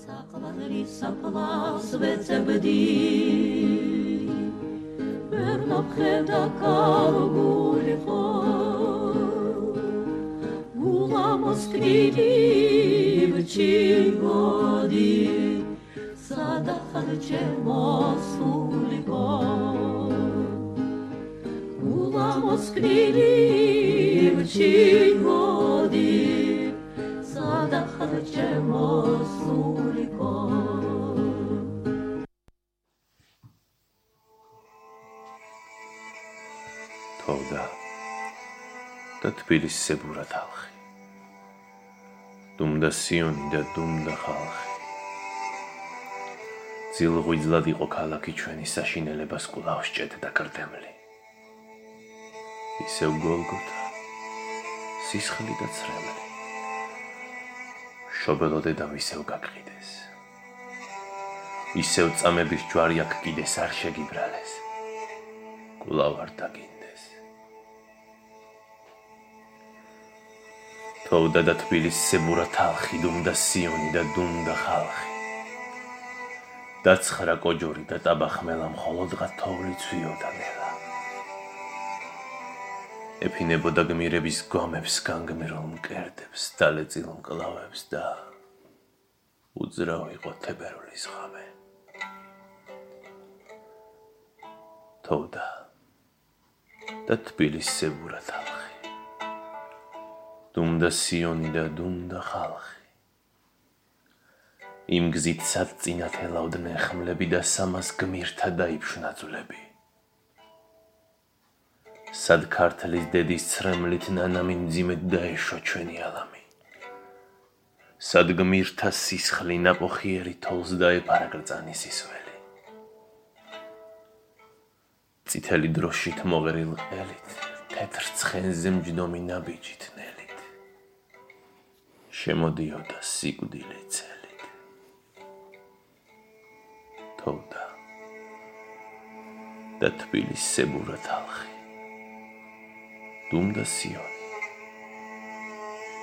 საყვარლის საფლავს ვეძებდი ვერ მომხედა კარგულიყო გულა მოსკრილი ვჩიგოდი სადახარ ჩემოსულიყო გულა მოსკრილი ვჩიგოდი სადახარ ჩემოსულიყო თოვდა და თბილისს ზებურა თალხი დუმდა სიონი და დუმდა ხალხი ძილღვიძლად იყო ქალაქი ჩვენი საშინელებას კვლავ სჭედდა კრდემლი ისევ გოლგოთა სისხლი და ცრემლი შობელო დედამ ისევ გაგყიდეს ისევ წამების ჯვარი აქ კიდეს არ შეგიბრალეს კვლავ არ დაგინდეს თოვდა და თბილისს ზებურა თალხი დუმდა სიონი და დუმდა ხალხი დაცხრა კოჯორი და ტაბახმელა მხოლოდღა თოვლი ცვიოდა ნელა ეფინებოდა გმირების გვამებს განგმირულ მკერდებს დალეწილ მკლავებს და უძრავ იყო თებერვლის ღამე თოვდა და თბილისს ზებურა თალხი დუმდა სიონი და დუმდა ხალხი იმ გზით სად წინათ ელავდნენ ხმლები და სამას გმირთა დაიფშნა ძვლები სად ქართლის დედის ცრემლით ნანამი მძიმედ დაეშვა ჩვენი ალამი სად გმირთა სისხლი ნაყოფიერი თოლს დაეფარა გრწანის ისველი წითელი დროშით მოღერილ ყელით თეთრ ცხენზე მჯდომი ნაბიჯით ნელით შემოდიოდა სიკვდილი წელით თოვდა და თბილისს ზებურა თალხი დუმდა სიონი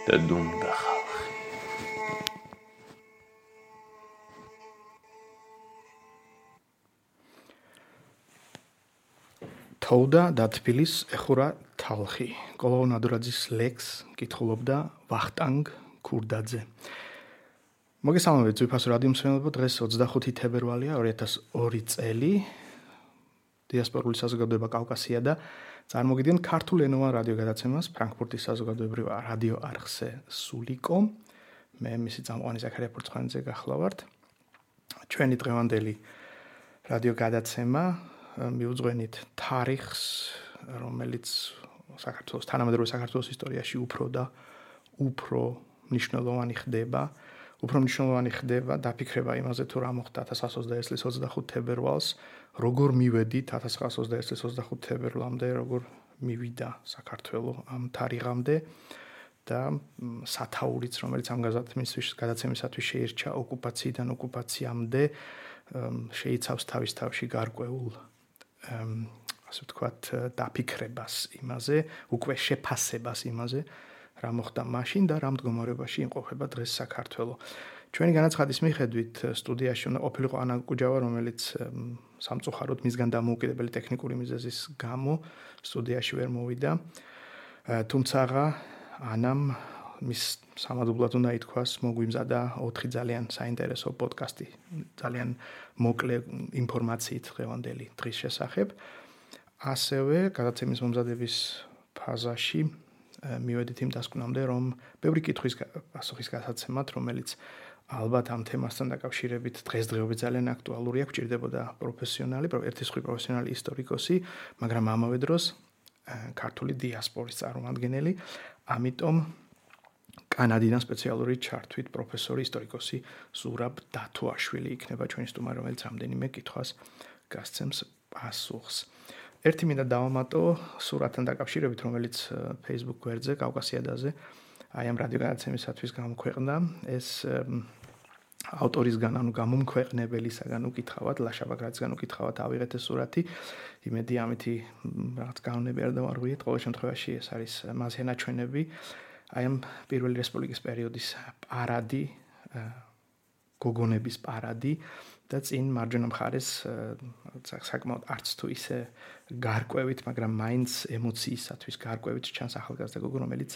და დუმდა ხალხი თოვდა და თბილისს ეხურა თალხი კოლო ნადურაძის ლექს კითხულობდა ვახტანგ ქურდაძე მოგესალმებით ძვირფას რადიო მსმენელებო დღეს 25 თებერვალია 2002 წელი დიასპორული საზოგადოება კავკასია და წარმოგიდგენ ქართულ ენოვან რადიო გადაცემას ფრანკფურტის საზოგადოებრივ რადიო არხზე სულიკო მე მისი წამყვანი ზაქარია ფურცხვანიძე გახლავართ ჩვენი დღევანდელი რადიო გადაცემა მიუძღვენით თარიღს რომელიც საქართველოს თანამედროვე საქართველოს ისტორიაში უფრო და უფრო მნიშვნელოვანი ხდება დაფიქრება იმაზე თუ რა მოხდა 1920 წლის 25 თებერვალს როგორ მივედით 1920 წლის 25 თებერვლამდე როგორ მივიდა საქართველო ამ თარიღამდე და სათაურიც რომელიც ამ გადაცემისათვის შეირჩა ოკუპაციიდან ოკუპაციამდე შეიცავს თავის თავში გარკვეულ ასე ვთქვათ დაფიქრებას იმაზე უკვე შეფასებას იმაზე რა მოხდა მაშინ და რა მდგომარეობაში იმყოფება დღეს საქართველო. ჩვენი განაცხადის მიხედვით სტუდიაში უნდა ყოფილიყო ანა კუჯავა, რომელიც სამწუხაროდ მისგან დამოუკიდებელი ტექნიკური მიზეზის გამო სტუდიაში ვერ მოვიდა. თუმცა ანამ მის სამადლებლად უნდა ითქვას, მოგვიმზადა 4 ძალიან საინტერესო პოდკასტი, ძალიან მოკლე ინფორმაციით დღევანდელი დღის შესახებ. ასევე გადაცემის მომზადების ფაზაში მივედით იმ დასკვნამდე, რომ ბევრი კითხვის პასუხის გასაცემად, რომელიც ალბათ ამ თემასთან დაკავშირებით დღესდღეობით ძალიან აქტუალურია, გვჭირდებოდა ერთი სხვი პროფესიონალი ისტორიკოსი, მაგრამ ამავე დროს ქართული დიასპორის წარმომადგენელი, ამიტომ კანადიდან სპეციალური ჩართვით პროფესორი ისტორიკოსი ზურაბ დათუაშვილი იქნება ჩვენი სტუმარი, რომელიც რამდენიმე კითხვას გასცემს პასუხს. ერთი მინდა დავამატო სურათთან დაკავშირებით, რომელიც Facebook გვერდზე კავკასიადაზე აი ამ რადიო გადაცემისათვის გამოქვეყნდა. ეს ავტორისგან, ანუ გამომქვეყნებელისგან უკითხავად, ლაშა ბაგრატისგან უკითხავად ავიღეთ ეს სურათი. იმედი ამითი რაღაც განონები არ დავარღვიეთ. ყოველ შემთხვევაში ეს არის მასე ნაჩვენები. აი ამ პირველი რესპუბლიკის პერიოდის პარადი გოგონების პარადი და წინ მარჯვენა მხარეს საკმაოდ არც თუ ისე გარკვევით, მაგრამ მაინც ემოციისათვის გარკვევით ჩანს ახალგაზრდა გოგო, რომელიც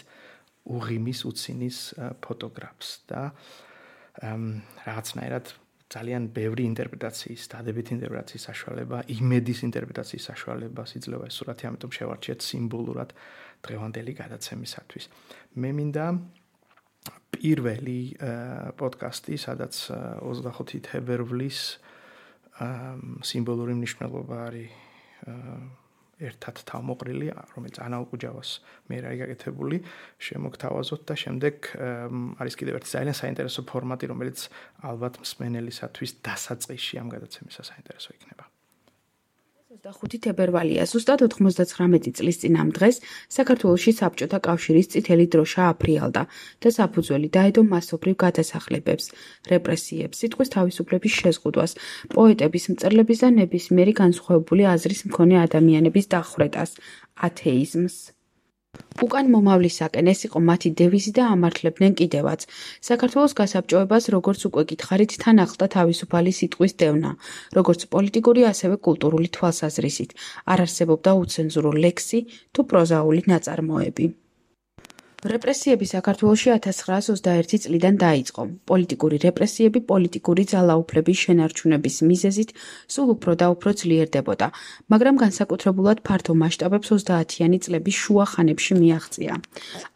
უღიმის უცინის ფოტოგრაფს და რაღაცნაირად ძალიან ბევრი ინტერპრეტაციის, დადებითი ინტერპრეტაციის საშუალება, იმედის ინტერპრეტაციის საშუალებას იძლევა ეს სურათი, ამიტომ შევარჩიეთ სიმბოლურად დღევანდელი გადაცემისათვის. მე მინდა პირველი პოდკასტი, სადაც 25 თებერვლის სიმბოლური მნიშვნელობა არის ერთად თავმოყრილი, რომელიც ანა უკუჯავას მე არის გაკეთებული, შემოგთავაზოთ და შემდეგ არის კიდევ ერთი ძალიან საინტერესო ფორმატი, რომელიც ალბათ მსმენელისათვის დასაწყისში ამ გადაცემისა საინტერესო იქნება. 25 თებერვალია, ზუსტად 99 წლის წინ ამ დღეს საქართველოში საბჭოთა კავშირის წითელი დროშა აფრიალდა და საფუძველი დაედო მასობრივ გადასახლებებს, რეპრესიებს, სიტყვის თავისუფლების შეზღუდვას, პოეტების, მწერლების და ნებისმიერი განსხვავებული აზრის მქონე ადამიანების დახვრეტას, ათეიზმს. უკან მომავლისაკენ ეს იყო მათი დევიზი და ამართლებდნენ კიდევაც. საქართველოს გასაბჭოებას, როგორც უკვე გითხარით, თან ახლდა თავისუფალი სიტყვის დევნა, როგორც პოლიტიკური, ასევე კულტურული თვალსაზრისით. არ არსებობდა უცენზურო ლექსი თუ პროზაული ნაწარმოები. რეპრესიები საქართველოში 1921 წლიდან დაიწყო. პოლიტიკური რეპრესიები პოლიტიკური ძალაუფლების შენარჩუნების მიზეზით სულ უფრო და უფრო ძლიერდებოდა, მაგრამ განსაკუთრებულად ფართო მასშტაბებს 30-იანი წლების შუა ხანებში მიაღწია.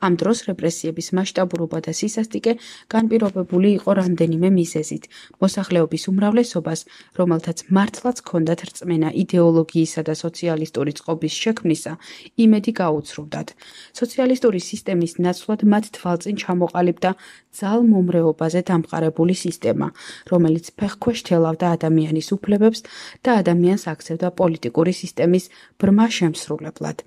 ამ დროს რეპრესიების მასშტაბურობა და სისასტიკე განპირობებული იყო რამდენიმე მიზეზით. მოსახლეობის უმრავლესობას, რომელთაც მართლაც ჰქონდათ რწმენა იდეოლოგიისა და სოციალისტური წყობის შექმნისა, იმედი გაუცრუვდათ. სოციალისტური სისტემის ნაცვლად მათ თვალწინ ჩამოყალიბდა ძალმომრეობაზე დამყარებული სისტემა, რომელიც ფეხქვეშ თელავდა ადამიანის უფლებებს და ადამიანს აქცევდა პოლიტიკური სისტემის ბრმა შემსრულებლად.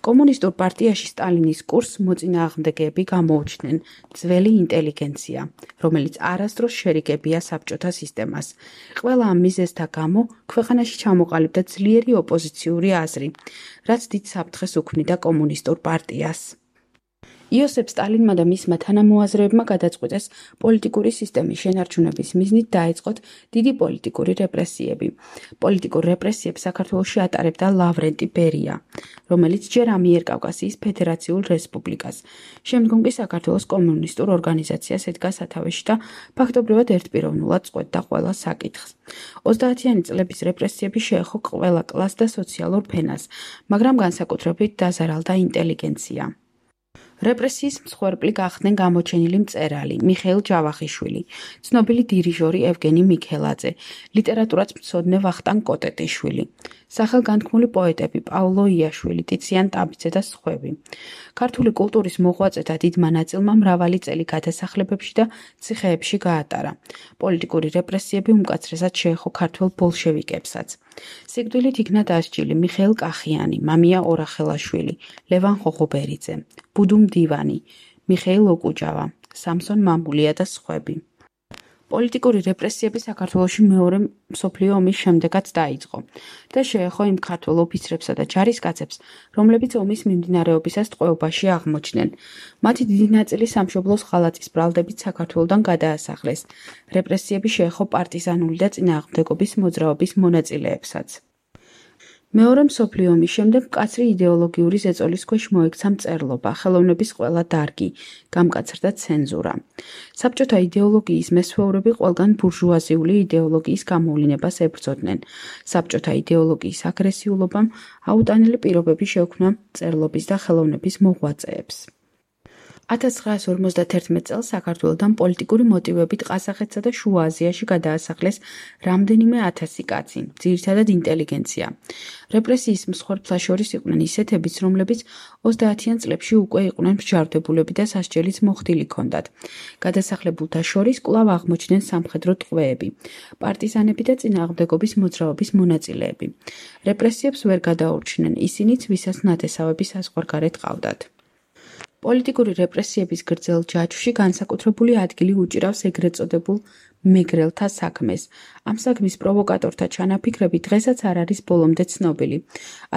კომუნისტურ პარტიაში სტალინის კურსს მოწინააღმდეგეები გამოუჩნდნენ ძველი ინტელიგენცია, რომელიც არასდროს შერიგებია საბჭოთა სისტემას. ყველა ამ მიზეზთა გამო ქვეყანაში ჩამოყალიბდა ძლიერი ოპოზიციური აზრი, რაც დიდ საფრთხეს უქმნიდა კომუნისტურ პარტიას. იოსებ სტალინმა და მისმა თანამოაზრეებმა გადაწყვიტეს პოლიტიკური სისტემის შენარჩუნების მიზნით დაეწყოთ დიდი პოლიტიკური რეპრესიები. პოლიტიკურ რეპრესიებს საქართველოში ატარებდა ლავრენტი ბერია, რომელიც ჯერ ამიერკავკასიის ფედერაციულ რესპუბლიკას, შემდგომ კი საქართველოს კომუნისტურ ორგანიზაციას ედგა სათავეში და ფაქტობრივად ერთპიროვნულად წყვეტდა ყველა საკითხს. 30-იანი წლების რეპრესიები შეეხო ყველა კლასს და სოციალურ ფენას, მაგრამ განსაკუთრებით დაზარალდა ინტელიგენცია. რეპრესიის მსხვერპლი გახდნენ გამოჩენილი მწერალი მიხეილ ჯავახიშვილი, ცნობილი დირიჟორი ევგენი მიქელაძე, ლიტერატურაც მცოდნე ვახტანგ კოტეტიშვილი, სახელგანთქმული პოეტები პავლო იაშვილი, ტიციან ტაბიძე და სხვები. ქართული კულტურის მოღვაწეთა დიდმა ნაწილმა მრავალი წელი გადასახლებებში და ციხეებში გაატარა. პოლიტიკური რეპრესიები უმკაცრესად შეეხო ქართველ ბოლშევიკებსაც. სიკვდილით იქნა დასჯილი მიხეილ კახიანი, მამია ორახელაშვილი, ლევან ხოხობერიძე, ბუდუ მდივანი, მიხეილ ოკუჯავა, სამსონ მამულია და სხვები. პოლიტიკური რეპრესიები საქართველოში მეორე მსოფლიო ომის შემდეგაც დაიწყო და შეეხო იმ ქართველ ოფიცრებსა და ჯარისკაცებს, რომლებიც ომის მიმდინარეობისას ტყვეობაში აღმოჩნდნენ. მათი დიდი ნაწილი სამშობლოს ღალატის ბრალდებით საქართველოდან გადაასახლეს. რეპრესიები შეეხო პარტიზანული და წინააღმდეგობის მოძრაობის მონაწილეებსაც. მეორე მსოფლიო ომის შემდეგ მკაცრი იდეოლოგიური ზეწოლის ქვეშ მოექცა მწერლობა, ხელოვნების ყველა დარგი, გამკაცრდა ცენზურა. საბჭოთა იდეოლოგიის მესვეურები ყველგან ბურჟუაზიული იდეოლოგიის გამოვლინებას ებრძოდნენ. საბჭოთა იდეოლოგიის აგრესიულობამ აუტანელი პირობები შეუქმნა მწერლობის და ხელოვნების მოღვაწეებს. 1951 წელს საქართველოდან პოლიტიკური მოტივებით ყაზახეთსა და შუა აზიაში გადაასახლეს რამდენიმე ათასი კაცი, ძირითადად ინტელიგენცია. რეპრესიის მსხვერპლთა შორის იყვნენ ისეთებიც, რომლებიც 30-იან წლებში უკვე იყვნენ მსჯავრდებულები და სასჯელიც მოხდილი ჰქონდათ. გადასახლებულთა შორის კვლავ აღმოჩნდნენ სამხედრო ტყვეები, პარტიზანები და წინააღმდეგობის მოძრაობის მონაწილეები. რეპრესიებს ვერ გადაურჩნენ ისინიც, ვისაც ნათესავები საზღვარგარეთ ყავდათ. პოლიტიკური რეპრესიების გრძელ ჯაჭვში განსაკუთრებული ადგილი უჭირავს ეგრეთ წოდებულ მეგრელთა საქმეს. ამ საქმის პროვოკატორთა ჩანაფიქრები დღესაც არ არის ბოლომდე ცნობილი.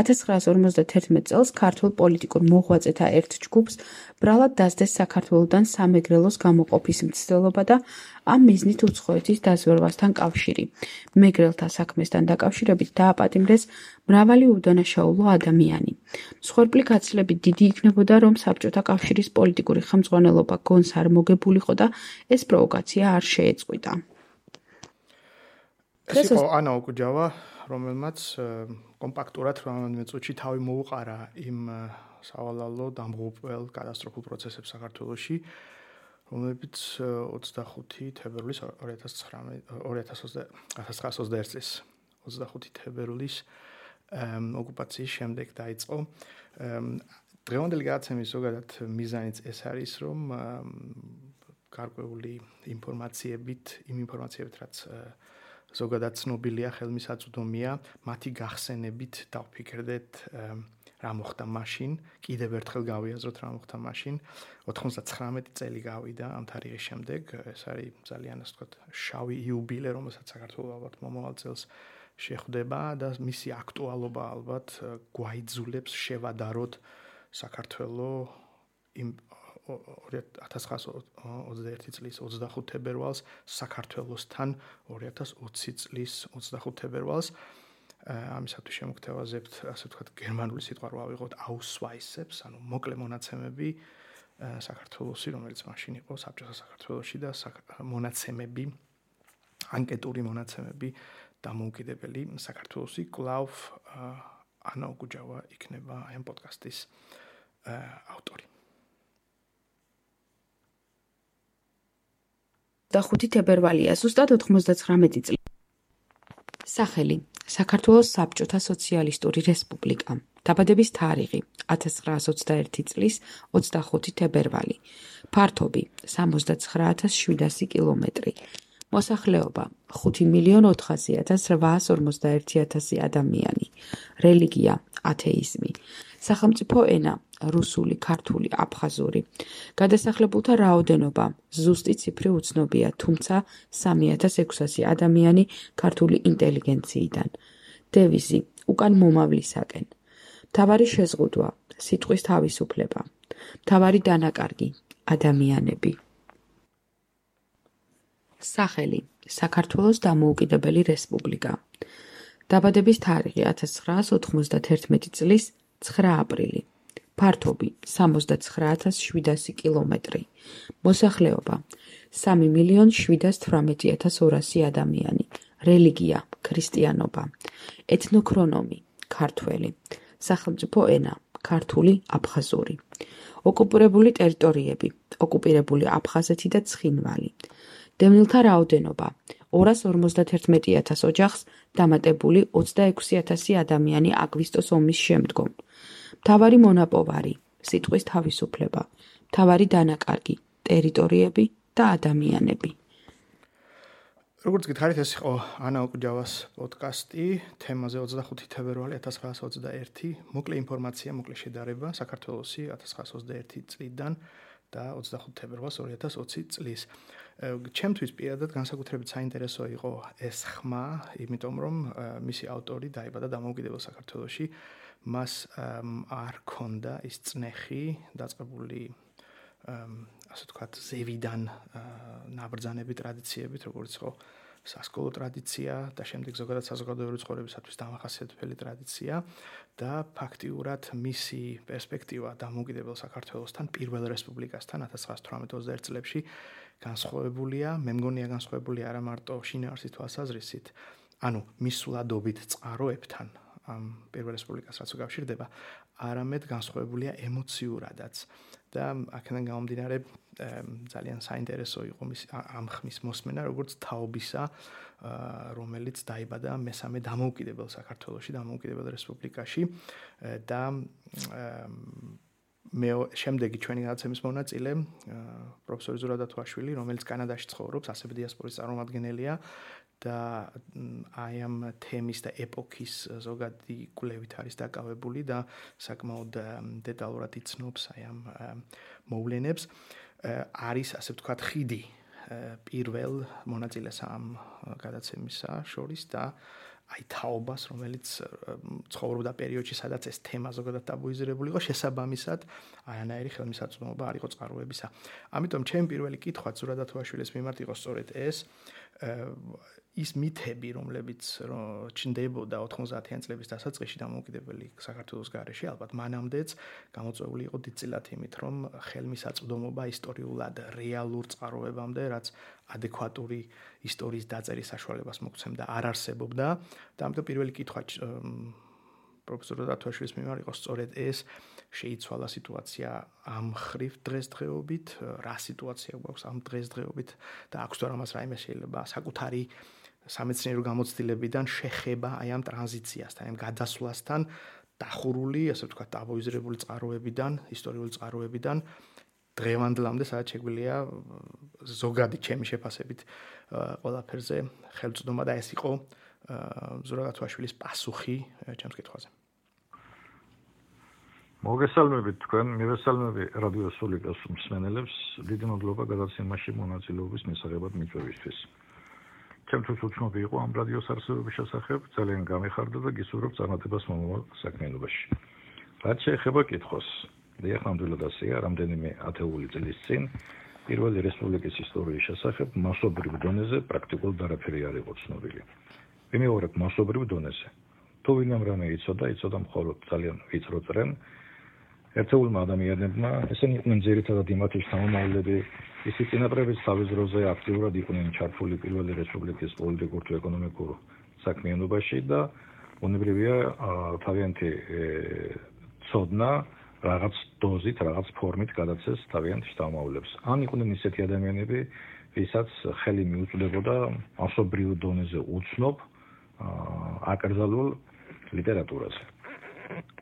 1951 წელს ქართულ პოლიტიკურ მოღვაწეთა ერთ ჯგუფს ბრალად დასდეს საქართველოდან სამეგრელოს გამოყოფის მცდელობა და ამ მიზნით უცხოეთის დაზვერვასთან კავშირი. მეგრელთა საქმესთან დაკავშირებით დააპატიმრეს მრავალი უდანაშაულო ადამიანი. მსხვერპლი გაცილებით დიდი იქნებოდა, რომ საბჭოთა კავშირის პოლიტიკური ხელმძღვანელობა გონს არ მოგებულიყო და ეს პროვოკაცია არ შეეწყვიტა. ეს იყო ანა ოკუჯავა, რომელმაც კომპაქტურად 18 წუთში თავი მოუყარა იმ სავალალო დამღუპველ კატასტროფულ პროცესებს საქართველოში, რომლებიც 25 თებერვლის 1921 წლის 25 თებერვლის ოკუპაციის შემდეგ დაიწყო. დღევანდელი გადაცემის ზოგადად მიზანიც ეს არის, რომ გარკვეული ინფორმაციებით, რაც ზოგადად ცნობილია, ხელმისაწვდომია, მათი გახსენებით დავფიქრდეთ რა მოხდა მაშინ, კიდევ ერთხელ გავიაზროთ რა მოხდა მაშინ. 99 წელი გავიდა ამ თარიღის შემდეგ, ეს არის ძალიან ასე ვთქვათ, შავი იუბილე, რომელსაც საქართველოს ალბათ მომავალ წელს შეხვდება და მისი აქტუალობა ალბათ გვაიძულებს შევადაროთ საქართველოს იმ 1921 წლის 25 თებერვალს საქართველოსთან 2020 წლის 25 თებერვალს. ამისათვის შემოგთავაზებთ, ასე ვთქვათ, გერმანული სიტყვა რო ავიღოთ Ausweisებს, ანუ მოკლე მონაცემები საქართველოსი, რომელიც მაშინ იყო საბჭოთა საქართველოში და მონაცემები, ანკეტური მონაცემები დამოუკიდებელი საქართველოსი. კვლავ ანა ოკუჯავა იქნება ამ პოდკასტის ავტორი. 5 თებერვალია, ზუსტად 99 წელი. სახელი: საქართველოს საბჭოთა სოციალისტური რესპუბლიკა. დაბადების თარიღი: 1921 წლის 25 თებერვალი. ფართობი: 69700 კილომეტრი. მოსახლეობა: 5.400.851 ადამიანი. რელიგია: ათეიზმი. სახელმწიფო ენა: რუსული, ქართული, აფხაზური. გადასახლებულთა რაოდენობა: ზუსტი ციფრი უცნობია, თუმცა 3600 ადამიანი ქართული ინტელიგენციიდან. დევიზი: უკან მომავლისაკენ. მთავარი შეზღუდვა: სიტყვის თავისუფლება. მთავარი დანაკარგი: ადამიანები. სახელი: საქართველოს დამოუკიდებელი რესპუბლიკა. დაბადების თარიღი: 1991 წლის 9 აპრილი. ფართობი: 69700 კილომეტრი. მოსახლეობა: 3.718.200 ადამიანი. რელიგია: ქრისტიანობა. ეთნოქრონომი: ქართველი. სახელმწიფო ენა: ქართული, აფხაზური. ოკუპირებული ტერიტორიები: ოკუპირებული აფხაზეთი და ცხინვალი. დევნილთა რაოდენობა: 251.000 ოჯახს დამატებული 26.000 ადამიანი აგვისტოს ომის შემდგომ. მთავარი მონაპოვარი: სიტყვის თავისუფლება. მთავარი დანაკარგი: ტერიტორიები და ადამიანები. როგორც გითხარით, ეს იყო ანა ოკუჯავას პოდკასტი თემაზე 25 თებერვალი 1921. მოკლე ინფორმაცია, მოკლე შედარება საქართველოსი 1921 წლიდან და 25 თებერვალს 2020 წლის. ჩემთვის პირადად განსაკუთრებით საინტერესო იყო ეს ხმა, იმიტომ რომ მისი ავტორი დაიბადა დამოუკიდებელ საქართველოში. მას არ ქონდა ის წნეხი დაწყებული ასე ვთქვათ, ზევიდან ნაბრძანები ტრადიციებით, როგორც იყო სასკოლო ტრადიცია და შემდეგ ზოგადად საზოგადოებრივი ცხოვრებისათვის დამახასიათებელი ტრადიცია და ფაქტიურად მისი პერსპექტივა დამოუკიდებელ საქართველოსთან, პირველ რესპუბლიკასთან 1918-21 წლებში განსხვავებულია, მე მგონია განსხვავებული არა მარტო შინაარსის თვალსაზრისით, ანუ მისვლადობით წყაროებთან ამ პირველ რესპუბლიკას რაც უკავშირდება, არამედ განსხვავებულია ემოციურადაც. და აქედან გამომდინარე ძალიან საინტერესო იყო ამ ხმის მოსმენა, როგორც თაობისა, რომელიც დაიბადა მესამე დამოუკიდებელ საქართველოში, დამოუკიდებელ რესპუბლიკაში და შემდეგი ჩვენი გადაცემის მონაწილე პროფესორი ზურაბ დათუაშვილი, რომელიც კანადაში ცხოვრობს, ასევე დიასპორის წარმომადგენელია და აი ამ თემის და ეპოქის ზოგადი კვლევით არის დაკავებული და საკმაოდ დეტალურად იცნობს აი ამ მოვლენებს. არის ასე ვთქვათ ხიდი პირველ მონაწილეს ამ გადაცემისა შორის და აი თაობას, რომელიც ცხოვრობდა პერიოდში, სადაც ეს თემა ზოგადად ტაბუიზირებული იყო, შესაბამისად, არანაირი ხელმისაწვდომობა არ იყო წყაროებისა. ამიტომ ჩემი პირველი კითხვა ზურაბ-დათოაშვილის მიმართ იყო სწორედ ეს, ის მითები, რომლებიც ჩნდებოდა 90-იან წლების დასაწყისში დამოუკიდებელი საქართველოს გარეშე, ალბათ მანამდეც გამოწვეული იყო დიდწილად იმით, რომ ხელმისაწვდომობა ისტორიულად რეალურ წყაროებამდე, რაც ადეკვატური ისტორიის დაწერის საშუალებას მოგცემდა, არ არსებობდა და ამიტომ პირველი კითხვა პროფესორ დათოაშვილის მიმართ იყო სწორედ ეს, შეიცვალა სიტუაცია ამ ხრივ დღესდღეობით, რა სიტუაცია გვაქვს ამ დღესდღეობით და აქვს თუ არა მას რაიმე შეიძლება საკუთარი სამეცნიერო გამოცდილებიდან შეხება აი ამ ტრანზიციასთან, ამ გადასვლასთან დახურული, ასე ვთქვათ, ტაბუიზირებული წყაროებიდან, ისტორიული წყაროებიდან დღევანდლამდე, სადაც შეგვიძლია ზოგადი ჩემი შეფასებით ყველაფერზე ხელმწვდომა და ეს იყო ზურაბ-დათოაშვილის პასუხი ჩემს კითხვაზე. მოგესალმებით თქვენ, მივესალმები რადიო სულიკას მსმენელებს, დიდი მადლობა გადაცემაში მონაწილეობის მისაღებად მიწვევისთვის. ჩემთვის უცნობი იყო ამ რადიოს არსებობის შესახებ, ძალიან გამიხარდა და გისურვებ წარმატებას მომავალ საქმიანობაში. რაც შეეხება კითხვას, დიახ, ნამდვილად ასეა, რამდენიმე ათეული წლის წინ პირველი რესპუბლიკის ისტორიის შესახებ მასობრივ დონეზე პრაქტიკულად არაფერი არ იყო ცნობილი. ვიმეორებ მასობრივ დონეზე. თუ ვინმემ რამე იცოდა მხოლოდ ძალიან ვიწრო წრენ. ერთეულმა ადამიანებმა, ესენი იყვნენ ძირითადად იმათი შთამომავლები, ისიც წინაპრების თავის დროზე აქტიურად იყვნენ ჩართული პირველი რესპუბლიკის პოლიტიკურ თუ ეკონომიკურ საქმიანობაში და უნებრივია თავიანთი ცოდნა რაღაც დოზით, რაღაც ფორმით გადაცეს თავიანთ შთამომავლებს. ან იყვნენ ისეთი ადამიანები, ვისაც ხელი მიუწვდებოდა მასობრივ დონეზე უცნობ აკრძალულ ლიტერატურაზე.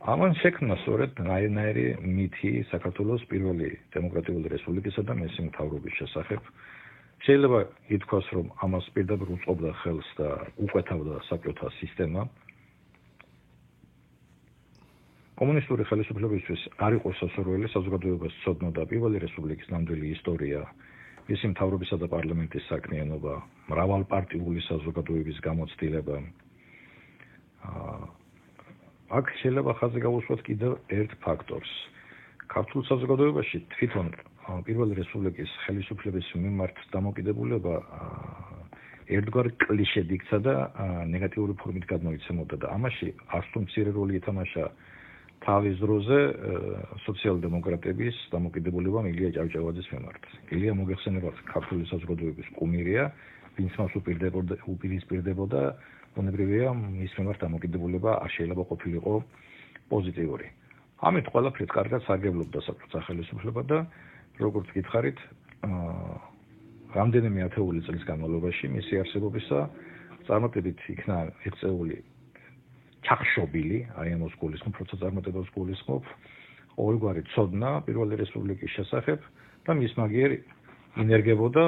ამან შექმნა სწორედ რაინაირი მითი საქართველოს პირველი დემოკრატიული რესპუბლიკისა და მისი მთავრობის შესახებ. შეიძლება ითქვას, რომ ამას პირდაპირ უწყობდა ხელს და უყვეთავდა საბჭოთა სისტემა. კომუნისტური ხელისუფლებისთვის არ იყო სასურველი საზოგადოებას ცოდნოდა პირველი რესპუბლიკის ნამდვილი ისტორია, მისი მთავრობისა და პარლამენტის საქმიანობა, მრავალპარტიული საზოგადოების გამოცდილება. აქ შეიძლება ხაზი გავუსვათ კიდევ ერთ ფაქტორს. ქართულ საზოგადოებაში თვითონ პირველი რესპუბლიკის ხელისუფლების მიმართ დამოკიდებულება ერთგვარ კლიშედ იქცა და ნეგატიური ფორმით გადმოიცემოდა და ამაში არც თუ მცირე როლი ითამაშა თავის დროზე სოციალ-დემოკრატების დამოკიდებულება ილია ჭავჭავაძის მიმართ. ილია მოგეხსენებათ ქართული საზოგადოების კუმირია, ვინც მას უპირისპირდებოდა უნებრივია მის მიმართ დამოკიდებულება არ შეიძლება ყოფილიყო პოზიტიური. ამით ყველაფრით კარგად სარგებლობდა საბჭოთა ხელისუფლება და როგორც გითხარით, რამდენიმე ათეული წლის განმავლობაში მისი არსებობისა წარმატებით იქნა მიღწეული ჩახშობილი, აი ამას გულისხმობ, როცა წარმატებას გულისხმობ, ყოველგვარი ცოდნა პირველი რესპუბლიკის შესახებ და მის მაგიერ ინერგებოდა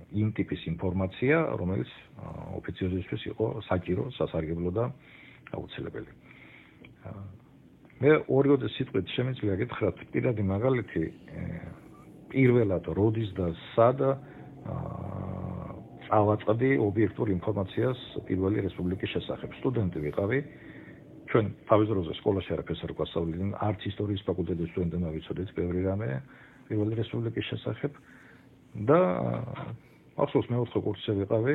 იმ ტიპის ინფორმაცია, რომელიც ოფიციოზისთვის იყო საჭირო, სასარგებლო და აუცილებელი. მე ორივე სიტყვით შემიძლია გითხრათ პირადი მაგალითი პირველად როდის და სად წავაწყდი ობიექტურ ინფორმაციას პირველი რესპუბლიკის შესახებ. სტუდენტი ვიყავი, ჩვენ თავის დროზე სკოლაში არაფერს არ გვასწავლდნენ, არც ისტორიის ფაკულტეტის სტუდენტებმა ვიცოდეთ ბევრი რამე პირველი რესპუბლიკის შესახებ და ახსოვს მეოთხე კურსზე ვიყავი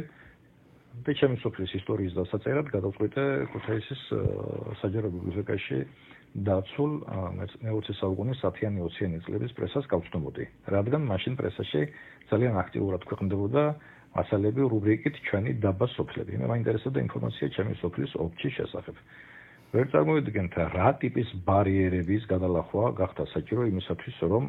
და ჩემი სოფლის ისტორიის დასაწერად გადავწყვიტე ქუთაისის საჯარო ბიბლიოთეკაში დაცულ მე-20 საუკუნის 10-20 წლების პრესას გავცნობოდი, რადგან მაშინ პრესაში ძალიან აქტიურად ქვეყნდებოდა მასალები რუბრიკით ჩვენი დაბა სოფლები. მე მაინტერესებდა ინფორმაცია ჩემი სოფლის ოფჩის შესახებ. ვერ წარმოვიდგენთ რა ტიპის ბარიერების გადალახვა გახდა საჭირო იმისათვის, რომ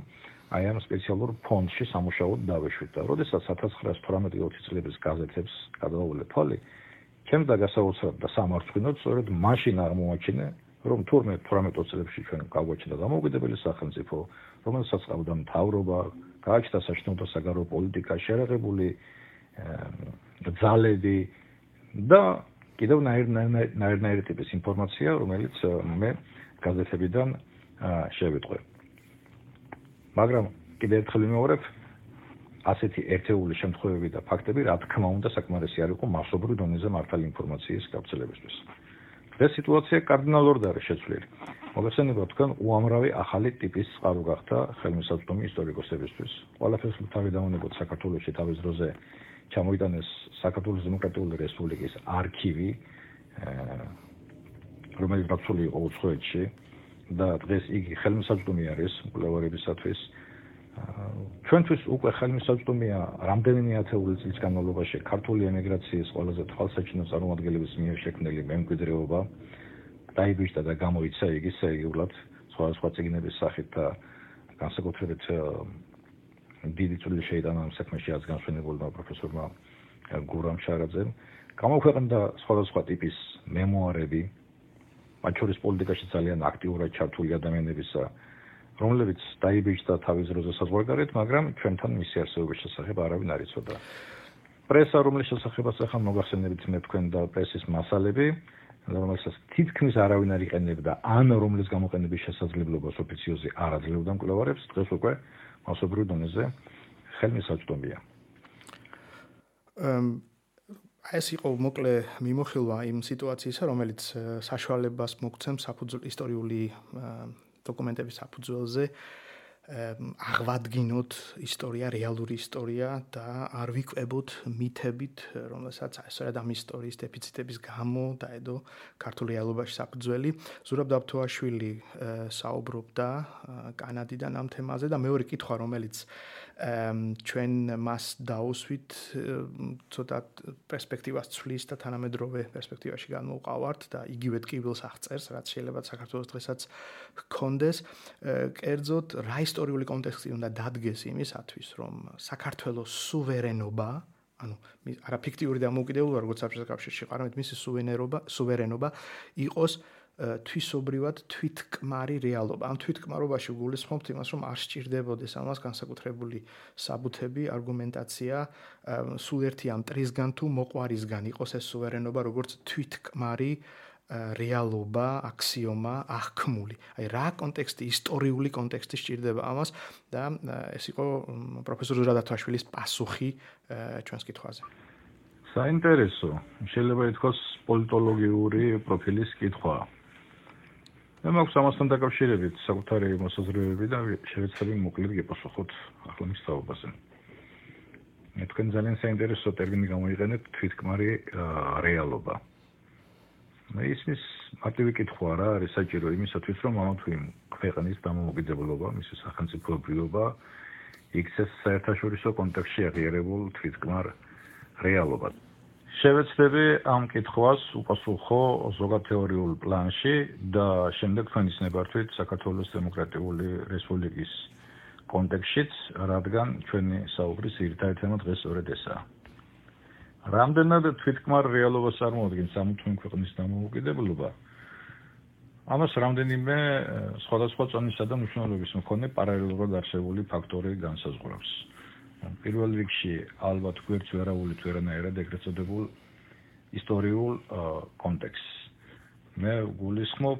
აი ამ სპეციალურ ფონდში სამუშაოდ დავეშვით და როდესაც 1918-20 წლების გაზეთებს გადავავლე თვალი, ჩემს დაგასაოცრად და სამარცხვინოდ სწორედ მაშინ აღმოაჩინე, რომ თურმე 18 წლებში ჩვენ გავაჩნდა დამოუკიდებელი სახელმწიფო, რომელსაც ყავდა მთავრობა, გააჩნდა საშინაო და საგარეო პოლიტიკა, შერეღებული ძალები და კიდევ ნაირ ტიპის ინფორმაცია, რომელიც მე გაზეთებიდან შევიტყვე. მაგრამ კიდევ ერთხელ ვიმეორებ, ასეთი ერთეული შემთხვევები და ფაქტები, რა თქმა უნდა, საკმარისი არ იყო მასობრივ დონეზე მართალი ინფორმაციის გავრცელებისთვის. ეს სიტუაცია კარდინალურად არის შეცვლილი. მოგეხსენებათ თქვენ, უამრავი ახალი ტიპის წყარო გახდა ხელმისაწვდომი ისტორიკოსებისთვის. ყველაფერს თავი დავუნებოთ საქართველოში თავის დროზე ჩამოიტანეს საქართველოს დემოკრატიული რესპუბლიკის არქივი, რომელიც დაცული იყო უცხოეთში და დღეს იგი ხელმისაწვდომი არის მკვლევარებისათვის. ჩვენთვის უკვე ხელმისაწვდომია რამდენიმე ათეული წლის განმავლობაში ქართული ემიგრაციის ყველაზე თვალსაჩინო წარმომადგენლების მიერ შექმნილი მემკვიდრეობა დაიბეჭდა და გამოიცა იგი სერიულად სხვადასხვა წიგნების სახით და განსაკუთრებით დიდი წვლილი შეიტანა ამ საქმეში რაც განსვენებულმა პროფესორმა გურამ შარაძემ. გამოქვეყნდა სხვადასხვა ტიპის მემუარები, მათ შორის პოლიტიკაში ძალიან აქტიურად ჩართული ადამიანებისა, რომლებიც დაიბეჭდა თავის დროზე საზღვარგარეთ, მაგრამ ჩვენთან მისი არსებობის შესახებ არავინ არ იცოდა. პრესა, რომლის შესახებაც ახლა მოგახსენებით მე თქვენ და პრესის მასალები, რომელსაც თითქმის არავინ არ იყენებდა, ან რომლის გამოყენების შესაძლებლობას ოფიციოზი არ აძლევდა მკვლევარებს, დღეს უკვე მასობრივ დონეზე ხელმისაწვდომია. ეს იყო მოკლე მიმოხილვა იმ სიტუაციისა, რომელიც საშუალებას მოგცემს ისტორიული დოკუმენტების საფუძველზე აღვადგინოთ ისტორია, რეალური ისტორია და არ ვიკვებოთ მითებით, რომელსაც სწორედ ამ ისტორიის დეფიციტების გამო დაედო ქართულ რეალობაში საფუძველი. ზურაბ დაბთოაშვილი საუბრობდა კანადიდან ამ თემაზე და მეორე კითხვა, რომელიც ჩვენ მას დაუსვით, ცოტა პერსპექტივას ცვლის და თანამედროვე პერსპექტივაში განმოვყავართ და იგივე ტკივილს აღწერს, რაც შეიძლება საქართველოს დღესაც ჰქონდეს. კერძოდ, რა ისტორიული კონტექსტი უნდა დადგეს იმისათვის, რომ საქართველოს სუვერენობა, ანუ არა ფიქტიური დამოუკიდებლობა, როგორც საბჭოთა კავშირში, არამედ მისი სუვერენობა იყოს თვისობრივად თვითკმარი რეალობა. ამ თვითკმარობაში გულისხმობთ იმას, რომ არ სჭირდებოდეს ამას განსაკუთრებული საბუთები, არგუმენტაცია, სულ ერთი ამ ტრისგან თუ მოყვარისგან იყოს ეს სუვერენობა, როგორც თვითკმარი რეალობა, აქსიომა, აღქმული. აი რა კონტექსტი, ისტორიული კონტექსტი სჭირდება ამას და ეს იყო პროფესორ ზურაბ დაბთოაშვილის პასუხი ჩვენს კითხვაზე. საინტერესო, შეიძლება ითქვას პოლიტოლოგიური პროფილის კითხვა. მე მაქვს ამასთან დაკავშირებით საკუთარი მოსაზრებები და შევეცდები მოკლედ გეპასუხოთ ახლა მის თაობაზე. მე თქვენ ძალიან საინტერესო ტერმინი გამოიყენეთ თვითკმარი რეალობა. მე ისმის მარტივი კითხვა რა არის საჭირო იმისათვის, რომ ამა თუ იმ ქვეყნის დამოუკიდებლობა, მისი სახელმწიფოებრიობა იქცეს საერთაშორისო კონტექსტში აღიარებულ თვითკმარ რეალობად. შევეცდები ამ კითხვას უპასუხო ზოგად თეორიულ პლანში და შემდეგ თქვენის ნებართვით საქართველოს დემოკრატიული რესპუბლიკის კონტექსტშიც, რადგან ჩვენი საუბრის ძირითადი თემა დღეს სწორედ ესაა. რამდენად თვითკმარ რეალობას წარმოადგენს ამ თუ იმ ქვეყნის დამოუკიდებლობა? ამას რამდენიმე სხვადასხვა წონისა და მნიშვნელობის მქონე პარალელურად არსებული ფაქტორი განსაზღვრავს. პირველ რიგში ალბათ გვერდს ვერავული თუ არანაირად ეგრეთ წოდებულ ისტორიულ კონტექსტს. მე გულისხმობ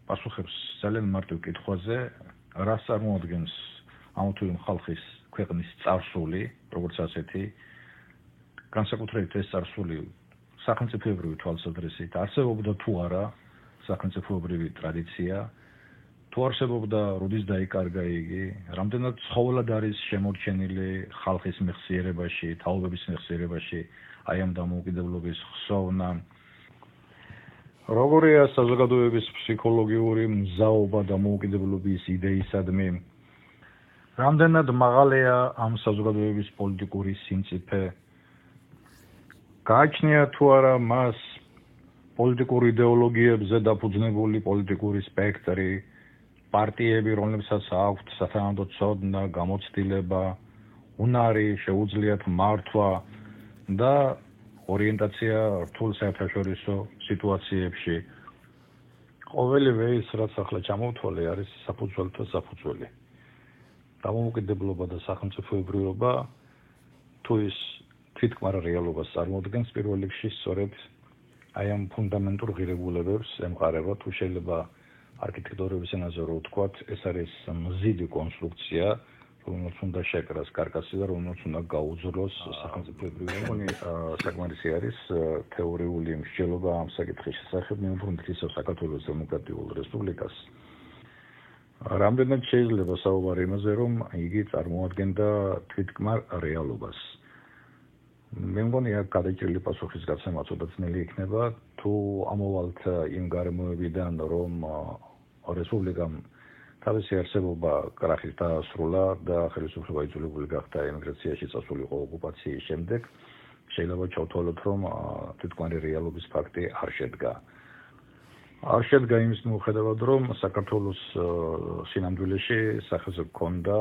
პასუხებს ძალიან მარტივ კითხვაზე, რას წარმოადგენს ამ თუ იმ ხალხის ქვეყნის წარსული, როგორც ასეთი, განსაკუთრებით ეს წარსული სახელმწიფოებრივი თვალსაზრისით არსებობდა თუ არა სახელმწიფოებრივი ტრადიცია, თუ არსებობდა როდის დაიკარგა იგი, რამდენად ცხოველად არის შემორჩენილი ხალხის მეხსიერებაში, თაობების მეხსიერებაში აი ამ დამოუკიდებლობის ხსოვნა, როგორია საზოგადოების ფსიქოლოგიური მზაობა დამოუკიდებლობის იდეისადმი, რამდენად მაღალია ამ საზოგადოების პოლიტიკური სიმწიფე, გააჩნია თუ არა მას პოლიტიკურ იდეოლოგიებზე დაფუძნებული პოლიტიკური სპექტრი, პარტიები, რომლებსაც აქვთ სათანადო ცოდნა, გამოცდილება, უნარი, შეუძლიათ მართვა და ორიენტაცია რთულ საერთაშორისო სიტუაციებში. ყოველივე ის, რაც ახლა ჩამოვთვალე, არის საფუძველთა საფუძველი. დამოუკიდებლობა და სახელმწიფოებრიობა თუ ის თვითკმარ რეალობას წარმოადგენს პირველ რიგში სწორედ აი ამ ფუნდამენტურ ღირებულებებს ემყარება, თუ შეიძლება არქიტექტურების ენაზე რო ვთქვათ, ეს არის მზიდი კონსტრუქცია, რომელსაც უნდა შეკრას კარკასი და რომელსაც უნდა გაუძლოს სახელმწიფოებრივი. მეგონი საკმარისი არის თეორიული მსჯელობა ამ საკითხის შესახებ, მე ვფიქრობ ისევ საქართველოს დემოკრატიულ რესპუბლიკას. რამდენად შეიძლება საუბარი იმაზე, რომ იგი წარმოადგენდა თვითკმარ რეალობას. მე მგონი აქ გადაჭრილი პასუხის გაცემა ცოტა ძნელი იქნება, თუ ამოვალთ იმ გარემოებიდან, რომ რესპუბლიკამ თავისი არსებობა კრახით დაასრულა და ხელისუფლება იძულებული გახდა ემიგრაციაში წასულიყო ოკუპაციის შემდეგ, შეიძლება ჩავთვალოთ, რომ თვითკმარი რეალობის ფაქტი არ შედგა. არ შედგა იმის მიუხედავად, რომ საქართველოს სინამდვილეში სახეზე ჰქონდა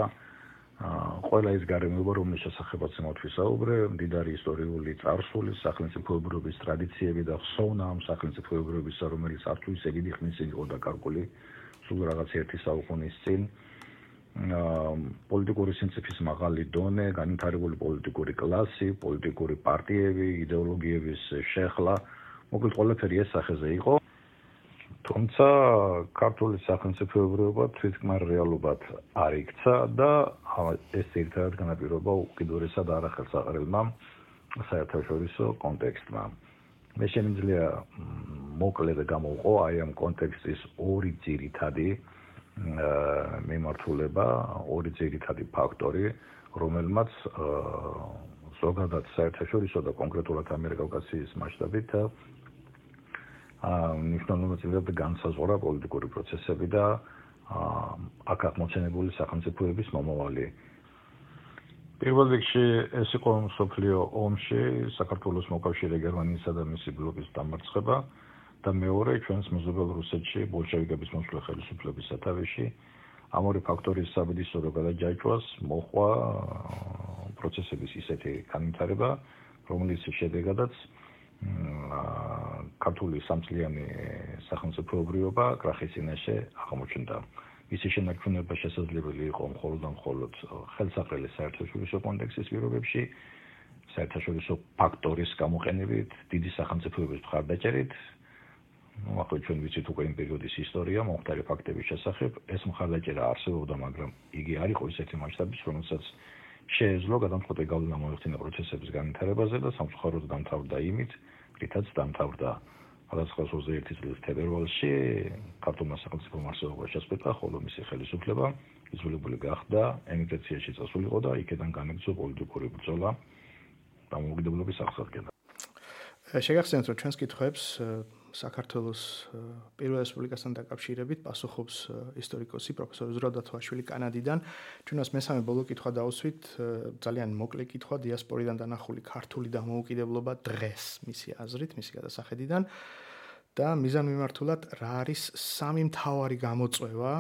ყველა ის გარემოება, რომლის შესახებაც მოთვისაუბრე, მდიდარი ისტორიული წარსული, სახელმწიფოებრიობის ტრადიციები და ხსოვნა ამ სახელმწიფოებრიობისა, რომელიც არც თუ ისე დიდი ხნის წინ იყო დაკარგული, სულ რაღაც ერთი საუკუნის წინ, პოლიტიკური სინციფის მაღალი დონე, განვითარებული პოლიტიკური კლასი, პოლიტიკური პარტიები, იდეოლოგიების შეხლა, მოკლედ ყველაფერი ეს სახეზე იყო. თუმცა ქართული სახელმწიფოებრიობა თვითკმარ რეალობად არ იქცა და ეს ერთად განაპირობა უკიდურესად არახელსაყრელმა საერთაშორისო კონტექსტმა. მე შემიძლია მოკლედ გამოვყო აი ამ კონტექსტის ორი ძირითადი მიმართულება, ორი ძირითადი ფაქტორი, რომელმაც ზოგადად საერთაშორისო და კონკრეტულად ამიერკავკასიის მასშტაბით მნიშვნელოვნად განსაზღვრა პოლიტიკური პროცესები და აქ აღმოცენებული სახელმწიფოების მომავალი. პირველ რიგში ეს იყო მსოფლიო ომში საქართველოს მოკავშირე გერმანიისა და მისი ბლოკის დამარცხება და მეორე ჩვენს მეზობელ რუსეთში ბოლშევიკების მოსვლა ხელისუფლების სათავეში. ამ ორი ფაქტორის საბედისო გადაჯაჭვას მოჰყვა პროცესების ისეთი განვითარება, რომლის შედეგადაც ქართული სამწლიანი სახელმწიფოებრიობა კრახის წინაშე აღმოჩნდა. მისი შენარჩუნება შესაძლებელი იყო მხოლოდ ხელსაყრელი საერთაშორისო კონტექსტის პირობებში, საერთაშორისო ფაქტორის გამოყენებით, დიდი სახელმწიფოების მხარდაჭერით. ახლა ჩვენ ვიცით უკვე იმ პერიოდის ისტორია, მომხდარი ფაქტების შესახებ, ეს მხარდაჭერა არსებობდა, მაგრამ იგი არ იყო ისეთი მასშტაბის, რომელსაც შეეძლო გადამწყვეტი გავლენა მოეხდინა პროცესების განვითარებაზე და სამწუხაროდ დამთავრდა იმით, რითაც დამთავრდა. 1921 წლის თებერვალში ქართულმა სახელმწიფომ არსებობა შესწყვიტა, ხოლო მისი ხელისუფლება იძულებული გახდა ემიგრაციაში წასულიყო და იქიდან განაგრძო პოლიტიკური ბრძოლა დამოუკიდებლობის აღსადგენად. შეგახსენეთ, რომ ჩვენს კითხვებს საქართველოს პირველ რესპუბლიკასთან დაკავშირებით პასუხობს ისტორიკოსი პროფესორი ზურაბ დათოაშვილი კანადიდან. ჩვენს მესამე ბოლო კითხვა დავუსვით, ძალიან მოკლე კითხვა, დიასპორიდან დანახული ქართული დამოუკიდებლობა დღეს, მისი აზრით, მისი გადასახედიდან და მიზანმიმართულად რა არის სამი მთავარი გამოწვევა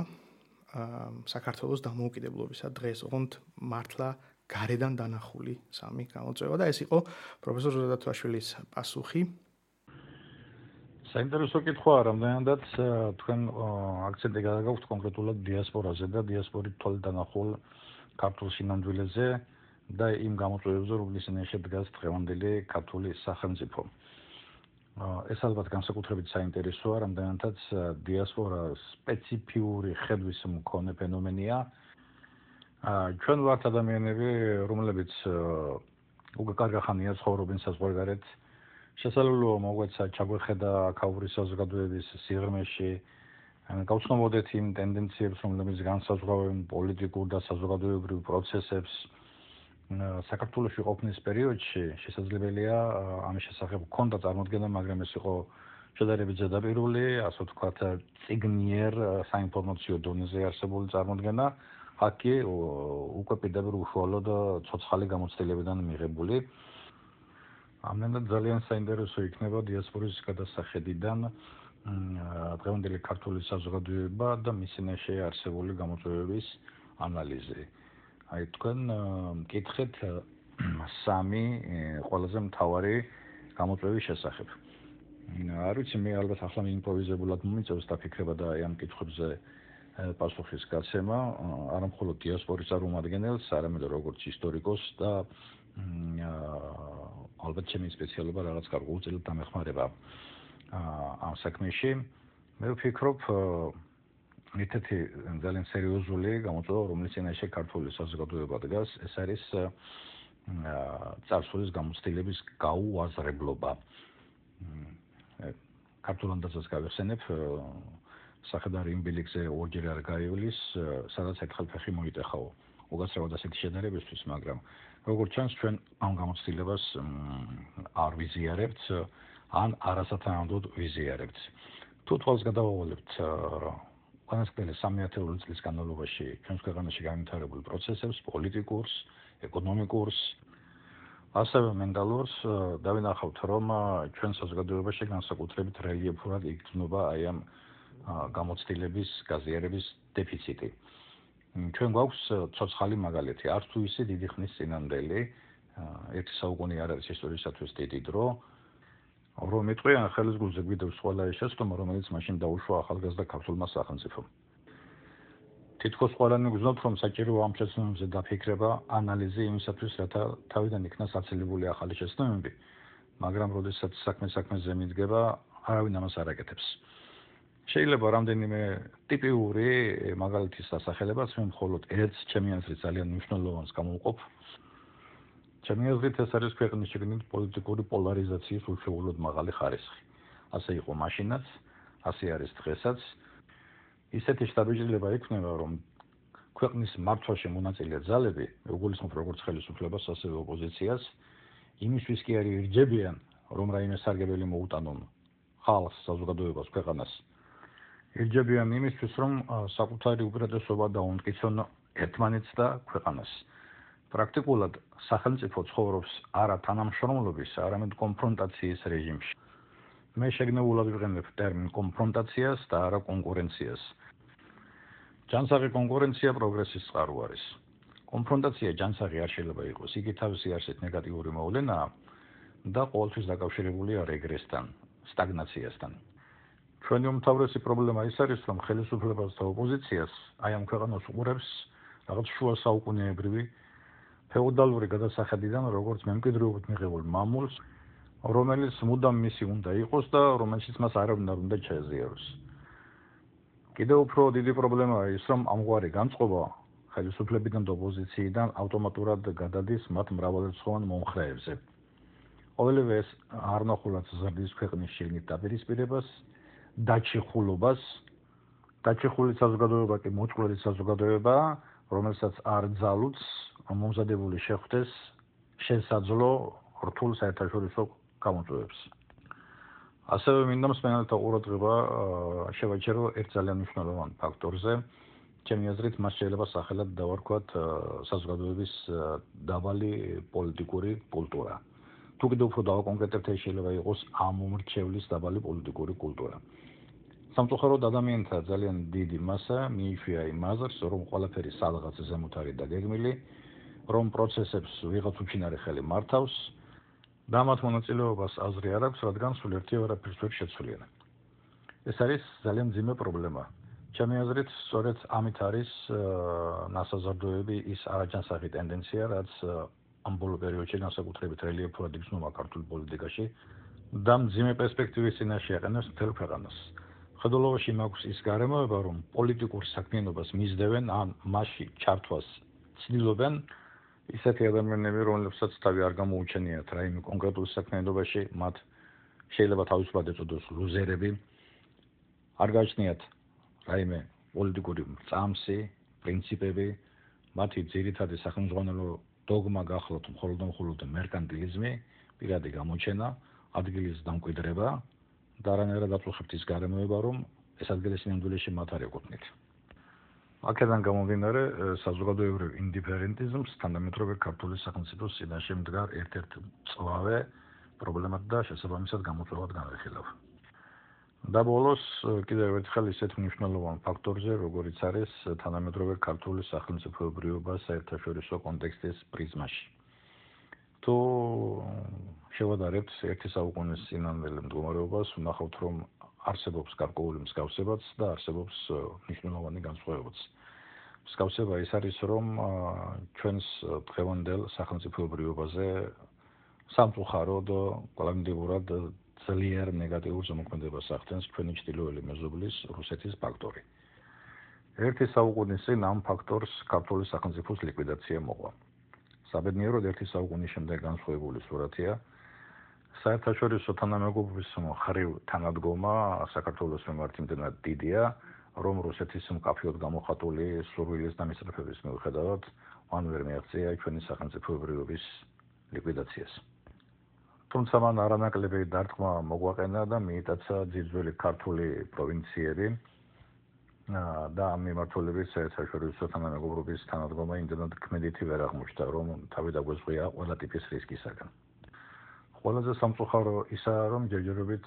საქართველოს დამოუკიდებლობისა დღეს, ოღონდ მართლა გარედან დანახული სამი გამოწვევა და ეს იყო პროფესორ ზურაბ დათოაშვილის პასუხი. საინტერესო კითხვაა, რამდენადაც თქვენ აქცენტი გადაგაქვთ კონკრეტულად დიასპორაზე და დიასპორით თვალით დანახულ ქართულ სინამდვილეზე და იმ გამოწვევებზე, რომლის წინაშე დგას დღევანდელი ქართული სახელმწიფო. ეს ალბათ განსაკუთრებით საინტერესოა, რამდენადაც დიასპორა სპეციფიური ხედვის მქონე ფენომენია. ჩვენ ვართ ადამიანები, რომლებიც უკვე კარგი ხანია ცხოვრობენ საზღვარგარეთ. შესაძლოა მოგვეცა ჩაგვეხედა აქაური საზოგადოების სიღრმეში, გავცნობოდეთ იმ ტენდენციებს, რომლებიც განსაზღვრავენ პოლიტიკურ და საზოგადოებრივ პროცესებს. საქართველოში ყოფნის პერიოდში შესაძლებელია ამის შესახებ ჰქონდა წარმოდგენა, მაგრამ ეს იყო შედარებით ზედაპირული, ასე ვთქვათ, წიგნიერ საინფორმაციო დონეზე არსებული წარმოდგენა. აქ უკვე პირდაპირ უშუალოდ ცოცხალი გამოცდილებიდან მიღებული. ამდენად ძალიან საინტერესო იქნება დიასპორის გადასახედიდან დღევანდელი ქართული საზოგადოება და მის წინაშე არსებული გამოწვევების ანალიზი. აი თქვენ მკითხეთ სამი ყველაზე მთავარი გამოწვევის შესახებ. არ ვიცი, მე ალბათ ახლა იმპროვიზებულად მომიწევს დაფიქრება და აი ამ კითხვებზე პასუხის გაცემა, არა მხოლოდ დიასპორის წარმომადგენელს, არამედ როგორც ისტორიკოსს და ალბათ ჩემი სპეციალობა რაღაც გარკვეულწილად დამეხმარება ამ საქმეში. მე ვფიქრობ, ერთ-ერთი ძალიან სერიოზული გამოწვევა, რომელიც წინაშე ქართული საზოგადოება დგას, ეს არის წარსულის გამოცდილების გაუაზრებლობა. ქართულ ანდაზას გავიხსენებ, სახედარი იმ ბილიკზე ორჯერ არ გაივლის, სადაც ერთხელ ფეხი მოიტეხაო. უკაცრავად ასეთი შედარებისთვის, მაგრამ როგორც ჩანს, ჩვენ ამ გამოცდილებას არ ვიზიარებთ, ან არასათანადოდ ვიზიარებთ. თუ თვალს გადავავალებთ უკანასკნელი 3-ათეული წლის განმავლობაში ჩვენს ქვეყანაში განვითარებულ პროცესებს, პოლიტიკურს, ეკონომიკურს, ასევე მენტალურს, დავინახავთ, რომ ჩვენ საზოგადოებაში განსაკუთრებით რელიეფურად იგრძნობა აი ამ გამოცდილების გაზიარების დეფიციტი. ჩვენ გვაქვს ცოცხალი მაგალითი, არც თუ ისე დიდი ხნის წინანდელი, ერთი საუკუნე არ არის ისტორიისათვის დიდი დრო, რომ იტყვიან ხელის გულზე გვიდევს ყველა ეს შეცდომა, რომელიც მაშინ დაუშვა ახალგაზრდა ქართულმა სახელმწიფომ. თითქოს ყველანი გრძნობთ, რომ საჭიროა ამ შეცდომებზე დაფიქრება, ანალიზი იმისათვის, რათა თავიდან იქნა საცილებული ახალი შეცდომები, მაგრამ როდესაც საქმე-საქმეზე მიდგება, არავინ ამას არ აკეთებს. შეიძლება რამდენიმე ტიპიური მაგალითის დასახელებაც მე მხოლოდ ერთს ჩემი აზრით ძალიან მნიშვნელოვანს გამოვყოფ. ჩემი აზრით ეს არის ქვეყნის შიგნით პოლიტიკური პოლარიზაციის უშუალოდ მაღალი ხარისხი. ასე იყო მაშინაც, ასე არის დღესაც. ისეთი შთაბეჭდილება იქნება, რომ ქვეყნის მართვაში მონაწილე ძალები, მეგულისხმობ როგორც ხელისუფლებას, ასევე ოპოზიციას, იმისთვის კი არ ირჯებიან, რომ რაიმე სარგებელი მოუტანონ ხალხს, საზოგადოებას, ქვეყანას. ირჯებიან იმისთვის, რომ საკუთარი უპირატესობა დაუმტკიცონ ერთმანეთს და ქვეყანას. პრაქტიკულად სახელმწიფო ცხოვრობს არა თანამშრომლობის, არამედ კონფრონტაციის რეჟიმში. მე შეგნებულად ვიყენებ ტერმინ კონფრონტაციას და არა კონკურენციას. ჯანსაღი კონკურენცია პროგრესის წყარო არის. კონფრონტაცია ჯანსაღი არ შეიძლება იყოს, იგი თავისი არსით ნეგატიური მოვლენაა და ყოველთვის დაკავშირებულია რეგრესთან, სტაგნაციასთან. ჩვენი უმთავრესი პრობლემა ის არის, რომ ხელისუფლებას და ოპოზიციას აი ამ ქვეყანას უყურებს რაღაც შუა საუკუნეებრივი ფეოდალური გადასახედიდან, როგორც მემკვიდრეობით მიღებულ მამულს, რომელიც მუდამ მისი უნდა იყოს და რომელშიც მას არავინ არ უნდა ჩაეზიაროს. კიდევ უფრო დიდი პრობლემაა ის, რომ ამგვარი განწყობა ხელისუფლებიდან და ოპოზიციიდან ავტომატურად გადადის მათ მრავალრიცხოვან მომხრეებზე. ყოველივე ეს არნახულად ზრდის ქვეყნის შიგნით დაპირისპირებას, დაჩიხულობას, დაჩიხული საზოგადოება კი მოწყვლელი საზოგადოებაა, რომელსაც არ ძალუც მომზადებული შეხვდეს შესაძლო რთულ საერთაშორისო გამოწვევებს. ასევე მინდა მსმენელთა ყურადღება შევაჩერო ერთ ძალიან მნიშვნელოვან ფაქტორზე. ჩემი აზრით, მას შეიძლება სახელად დავარქვათ საზოგადოების დაბალი პოლიტიკური კულტურა. თუ კიდევ უფრო დავაკონკრეტებთ, ეს შეიძლება იყოს ამომრჩევლის დაბალი პოლიტიკური კულტურა. სამწუხაროდ ადამიანთა ძალიან დიდი მასა მიიშვია იმ აზრს, რომ ყველაფერი სადღაც ზემოთ არის დაგეგმილი, რომ პროცესებს ვიღაც უჩინარი ხელი მართავს და მათ მონაწილეობას აზრი არ აქვს, რადგან სულ ერთი არაფერს ვერ შეცვლიან. ეს არის ძალიან მძიმე პრობლემა. ჩემი აზრით, სწორედ ამით არის ნასაზრდოები ის არაჯანსაღი ტენდენცია, რაც ამ ბოლო პერიოდში განსაკუთრებით რელიეფურად იგრძნობა ქართულ პოლიტიკაში და მძიმე პერსპექტივის წინაშე აყენებს მთელ ქვეყანას. ხედულობაში მაქვს ის გარემოება, რომ პოლიტიკურ საქმიანობას მისდევენ ან მასში ჩართვას ცდილობენ ისეთი ადამიანები, რომლებსაც თავი არ გამოუჩენიათ რაიმე კონკრეტულ საქმიანობაში, მათ შეიძლება თავისუფლად ეწოდოს ლუზერები, არ გააჩნიათ რაიმე პოლიტიკური წამსი, პრინციპები, მათი ძირითადი სახელმძღვანელო დოგმა გახლავთ მხოლოდ მერკანტილიზმი, პირადი გამოჩენა, ადგილის დამკვიდრება და არანაირად აწუხებთ ის გარემოება, რომ ეს ადგილი სინამდვილეში მათ არ ეკუთვნით. აქედან გამომდინარე, საზოგადოებრივ ინდიფერენტიზმს თანამედროვე ქართული სახელმწიფოს წინაშე მდგარ ერთ-ერთ მწვავე პრობლემად და შესაბამისად გამოწვევად განვიხილავ. და ბოლოს კიდევ ერთხელ ისეთ მნიშვნელოვან ფაქტორზე, როგორიც არის თანამედროვე ქართული სახელმწიფოებრიობა საერთაშორისო კონტექსტის პრიზმაში. თუ შევადარებთ ერთი საუკუნის წინანდელ მდგომარეობას, ვნახავთ, რომ არსებობს გარკვეული მსგავსებაც და არსებობს მნიშვნელოვანი განსხვავებაც. მსგავსება ის არის, რომ ჩვენს დღევანდელ სახელმწიფოებრიობაზე სამწუხაროდ კოლექტიურად ძლიერ ნეგატიურ ზემოქმედებას ახდენს ჩვენი ჩრდილოელი მეზობლის რუსეთის ფაქტორი. ერთი საუკუნის წინ ამ ფაქტორს ქართული სახელმწიფოს ლიკვიდაცია მოყვა. საბედნიეროდ ერთი საუკუნის შემდეგ განსხვავებული სურათია. საერთაშორისო თანამეგობრობის მხრივ თანადგომა საქართველოს მიმართ იმდენად დიდია, რომ რუსეთის მკაფიოდ გამოხატული სურვილის და მისწრაფების მიუხედავად მან ვერ მიაღწია ჩვენი სახელმწიფოებრიობის ლიკვიდაციას. თუმცა მან არანაკლები დარტყმა მოგვაყენა და მიიტაცა ძირძველი ქართული პროვინციები და ამ მიმართულებით საერთაშორისო თანამეგობრობის თანადგომა იმდენად ქმედითი ვერ აღმოჩნდა, რომ თავი დაგვეზღია ყველა ტიპის რისკისაგან. ყველაზე სამწუხარო ისაა, რომ ჯერჯერობით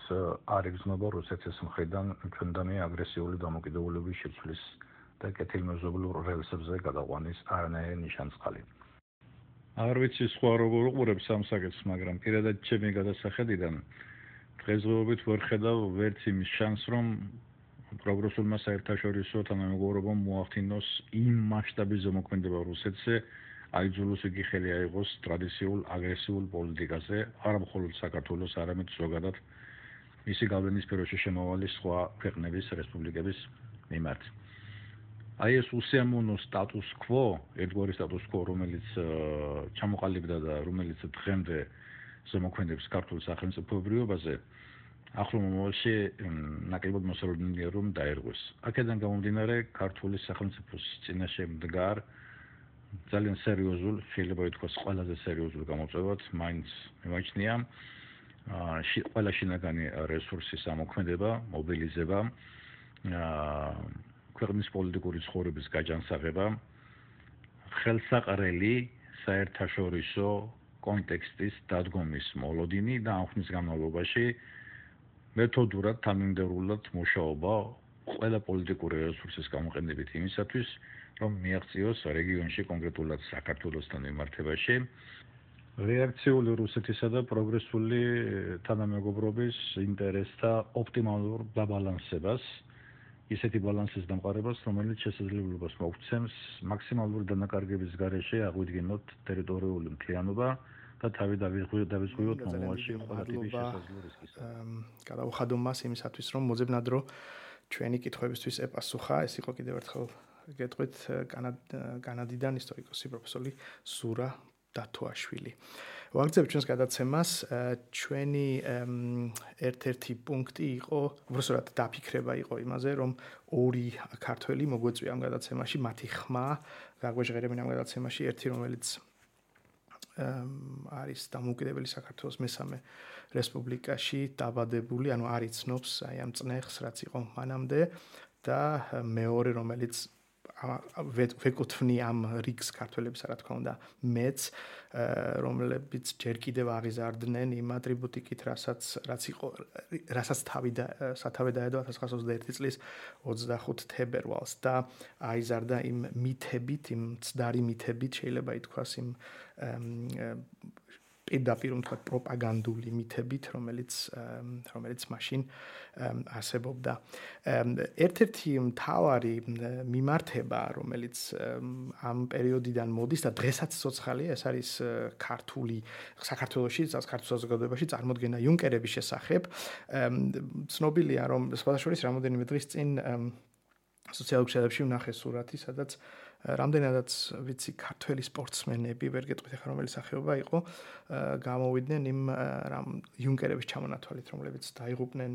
არ იგრძნობა რუსეთის მხრიდან ჩვენდანი აგრესიული დამოკიდებულების შეცვლის და კეთილმეზობლურ რელსებზე გადაყვანის არანაირი ნიშანწყალი. არ ვიცი სხვა როგორ უყურებს ამ საკითხს, მაგრამ პირადად ჩემი გადასახედიდან დღესდღეობით ვერ ხედავ ვერც იმის შანსს, რომ პროგრესულმა საერთაშორისო თანამეგობრობამ მოახდინოს იმ მასშტაბის ზემოქმედება რუსეთზე, აიძულოს იგი ხელი აიღოს ტრადიციულ აგრესიულ პოლიტიკაზე, არა მხოლოდ საქართველოს, არამედ ზოგადად მისი გავლენის სფეროში შემავალი სხვა ქვეყნების რესპუბლიკების მიმართ. აი ეს უსიამოვნო სტატუს კვო, ერთგვარი სტატუს კვო, რომელიც ჩამოყალიბდა და რომელიც დღემდე ზემოქმედებს ქართულ სახელმწიფოებრიობაზე, ახლო მომავალში ნაკლებად მოსალოდნელია რომ დაერღვეს. აქედან გამომდინარე, ქართული სახელმწიფოს წინაშე მდგარ ძალიან სერიოზულ, შეიძლება ითქვას ყველაზე სერიოზულ გამოწვევად მაინც მიმაჩნია ყველა შინაგანი რესურსის ამოქმედება, მობილიზება, ქვეყნის პოლიტიკური ცხოვრების გაჯანსაღება, ხელსაყრელი საერთაშორისო კონტექსტის დადგომის მოლოდინი და ამ ხნის განმავლობაში მეთოდურად, თანმიმდევრულად მუშაობა ყველა პოლიტიკური რესურსის გამოყენებით იმისათვის, რომ მიაღწიოს რეგიონში კონკრეტულად საქართველოსთან მიმართებაში რეაქციული რუსეთისა და პროგრესული თანამეგობრობის ინტერესთა ოპტიმალურ დაბალანსებას, ისეთი ბალანსის დამყარებას, რომელიც შესაძლებლობას მოგვცემს მაქსიმალური დანაკარგების გარეშე აღვიდგინოთ ტერიტორიული მთლიანობა და თავი დავიწყოთ მომავალში ყველა ტიპის შესაძლებელი რისკის. გადავხადო მას იმისათვის, რომ მოძებნად რომ ჩვენი კითხვებისთვის ეპასუხა, ეს იყო კიდევ ერთხელ გეტყვით კანადიდან ისტორიკოსი პროფესორი ზურა დათოაშვილი. ვაგრძელებ ჩვენს გადაცემას. ჩვენი ერთ-ერთი პუნქტი იყო, უბრალოდ დაფიქრება იყო იმაზე, რომ ორი ქართველი მოგვეწვია ამ გადაცემაში, მათი ხმა გაგვეჟღერებინ ამ გადაცემაში, ერთი რომელიც არის დამოუკიდებელი საქართველოს მესამე რესპუბლიკაში დაბადებული, ანუ არ იცნობს აი ამ წნეხს, რაც იყო მანამდე და მეორე რომელიც ვეკუთვნი ამ რიგს ქართველებს, რა თქმა უნდა, მეც, რომლებიც ჯერ კიდევ აღიზარდნენ იმ ატრიბუტიკით, რასაც სათავე დაედო 1921 წლის 25 თებერვალს და აიზარდა იმ მითებით, იმ ცდარი მითებით, შეიძლება ითქვას იმ პირდაპირ თქვა პროპაგანდული მითებით, რომელიც მაშინ არსებობდა. ერთ-ერთი მთავარი მიმართება, რომელიც ამ პერიოდიდან მოდის და დღესაც ცოცხალია, ეს არის საქართველოში, ქართულ საზოგადოებაში წარმოდგენა იუნკერების შესახებ. ცნობილია, რომ სხვადასხვა რამოდენიმე დღის წინ სოციალურ ქსელებში ვნახე სურათი, სადაც რამდენადაც ვიცი ქართველი სპორტსმენები, ვერ გეტყვით ახლა რომელი სახეობა იყო, გამოვიდნენ იმ იუნკერების ჩამონათვალით, რომლებიც დაიღუპნენ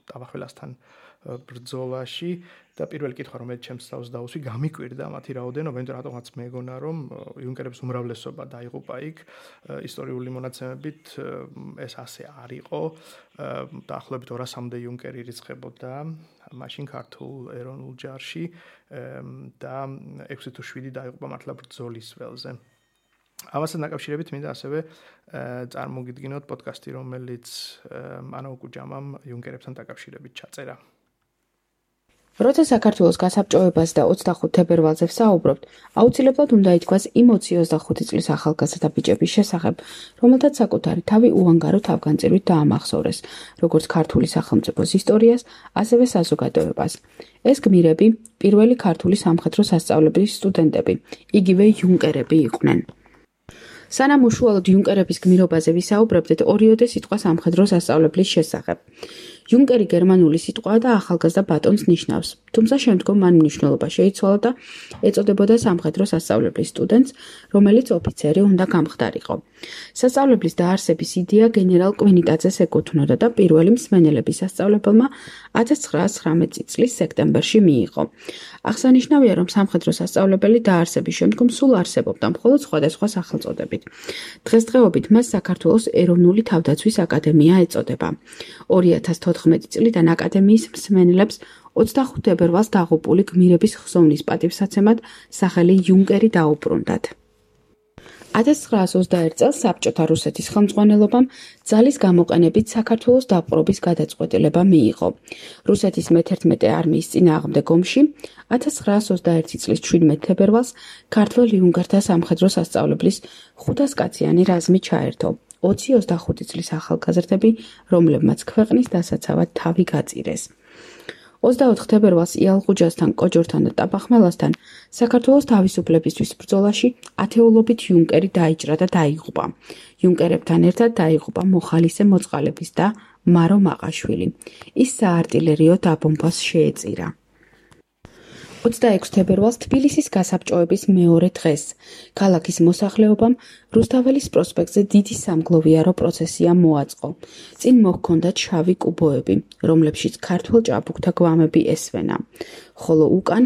ტაბახველასთან ბრძოლაში და პირველი კითხვა, რომელიც ჩემს თავს დაუსვი, გამიკვირდა მათი რაოდენობა, იმიტომ რატომაც მეგონა, რომ იუნკერების უმრავლესობა დაიღუპა იქ. ისტორიული მონაცემებით ეს ასე არ იყო. დაახლოებით 200-მდე იუნკერი ირიცხებოდა მაშინ ქართულ ეროვნულ ჯარში და 6 თუ 7 დაიღუპა მართლა ბრძოლის ველზე. ამასთან დაკავშირებით მინდა ასევე წარმოგიდგინოთ პოდკასტი, რომელიც ანა უკუჯამამ იუნკერებთან დაკავშირებით ჩაწერა. როცა საქართველოს გასაბჭოებას და 25 თებერვალზე ვსაუბრობთ, აუცილებლად უნდა ითქვას იმ 25 წლის ახალგაზრდა ბიჭების შესახებ, რომელთაც საკუთარი თავი უანგარო თავგანწირვით დაამახსოვრეს, როგორც ქართული სახელმწიფოს ისტორიას, ასევე საზოგადოებას. ეს გმირები პირველი ქართული სამხედრო სასწავლებლის სტუდენტები, იგივე იუნკერები იყვნენ. სანამ უშუალოდ იუნკერების გმირობაზე ვისაუბრებდეთ, ორიოდე სიტყვა სამხედრო სასწავლებლის შესახებ. იუნკერი გერმანული სიტყვაა და ახალგაზრდა ბატონს ნიშნავს, თუმცა შემდგომ მან მნიშვნელობა შეიცვალა და ეწოდებოდა სამხედრო სასწავლებლის სტუდენტს, რომელიც ოფიცერი უნდა გამხდარიყო. სასწავლებლის დაარსების იდეა გენერალ კვინიტაძეს ეკუთვნოდა და პირველი მსმენელების სასწავლებელმა 1919 წლის სექტემბერში მიიღო. აღსანიშნავია, რომ სამხედრო სასწავლებელი დაარსების შემდგომ სულ არსებობდა, მხოლოდ სხვადასხვა სახელწოდებით. დღესდღეობით მას საქართველოს ეროვნული თავდაცვის აკადემია ეწოდება. 2014 წლიდან აკადემიის მსმენელებს 25 თებერვალს დაღუპული გმირების ხსოვნის პატივსაცემად სახელი იუნკერი დაუბრუნდათ. 1921 წელს საბჭოთა რუსეთის ხელმძღვანელობამ ძალის გამოყენებით საქართველოს დაპყრობის გადაწყვეტილება მიიღო. რუსეთის მე-11 არმიის წინააღმდეგ ომში 1921 წლის 17 თებერვალს ქართველ იუნკერთა სამხედრო სასწავლებლის 500 კაციანი რაზმი ჩაერთო. 20-25 წლის ახალგაზრდები, რომლებმაც ქვეყნის დასაცავად თავი გაწირეს. 24 თებერვალს იალღუჯასთან, კოჯორთან და ტაბახმელასთან საქართველოს თავისუფლებისთვის ბრძოლაში ათეულობით იუნკერი დაიჭრა და დაიღუპა. იუნკერებთან ერთად დაიღუპა მოხალისე მოწყალების და მარო მაყაშვილი. ის საარტილერიო დაბომბვას შეეწირა. 26 თებერვალს თბილისის გასაბჭოების მეორე დღეს ქალაქის მოსახლეობამ რუსთაველის პროსპექტზე დიდი სამგლოვიარო პროცესია მოაწყო. წინ მოჰქონდათ შავი კუბოები, რომლებშიც ქართველ ჭაბუკთა გვამები ესვენა, ხოლო უკან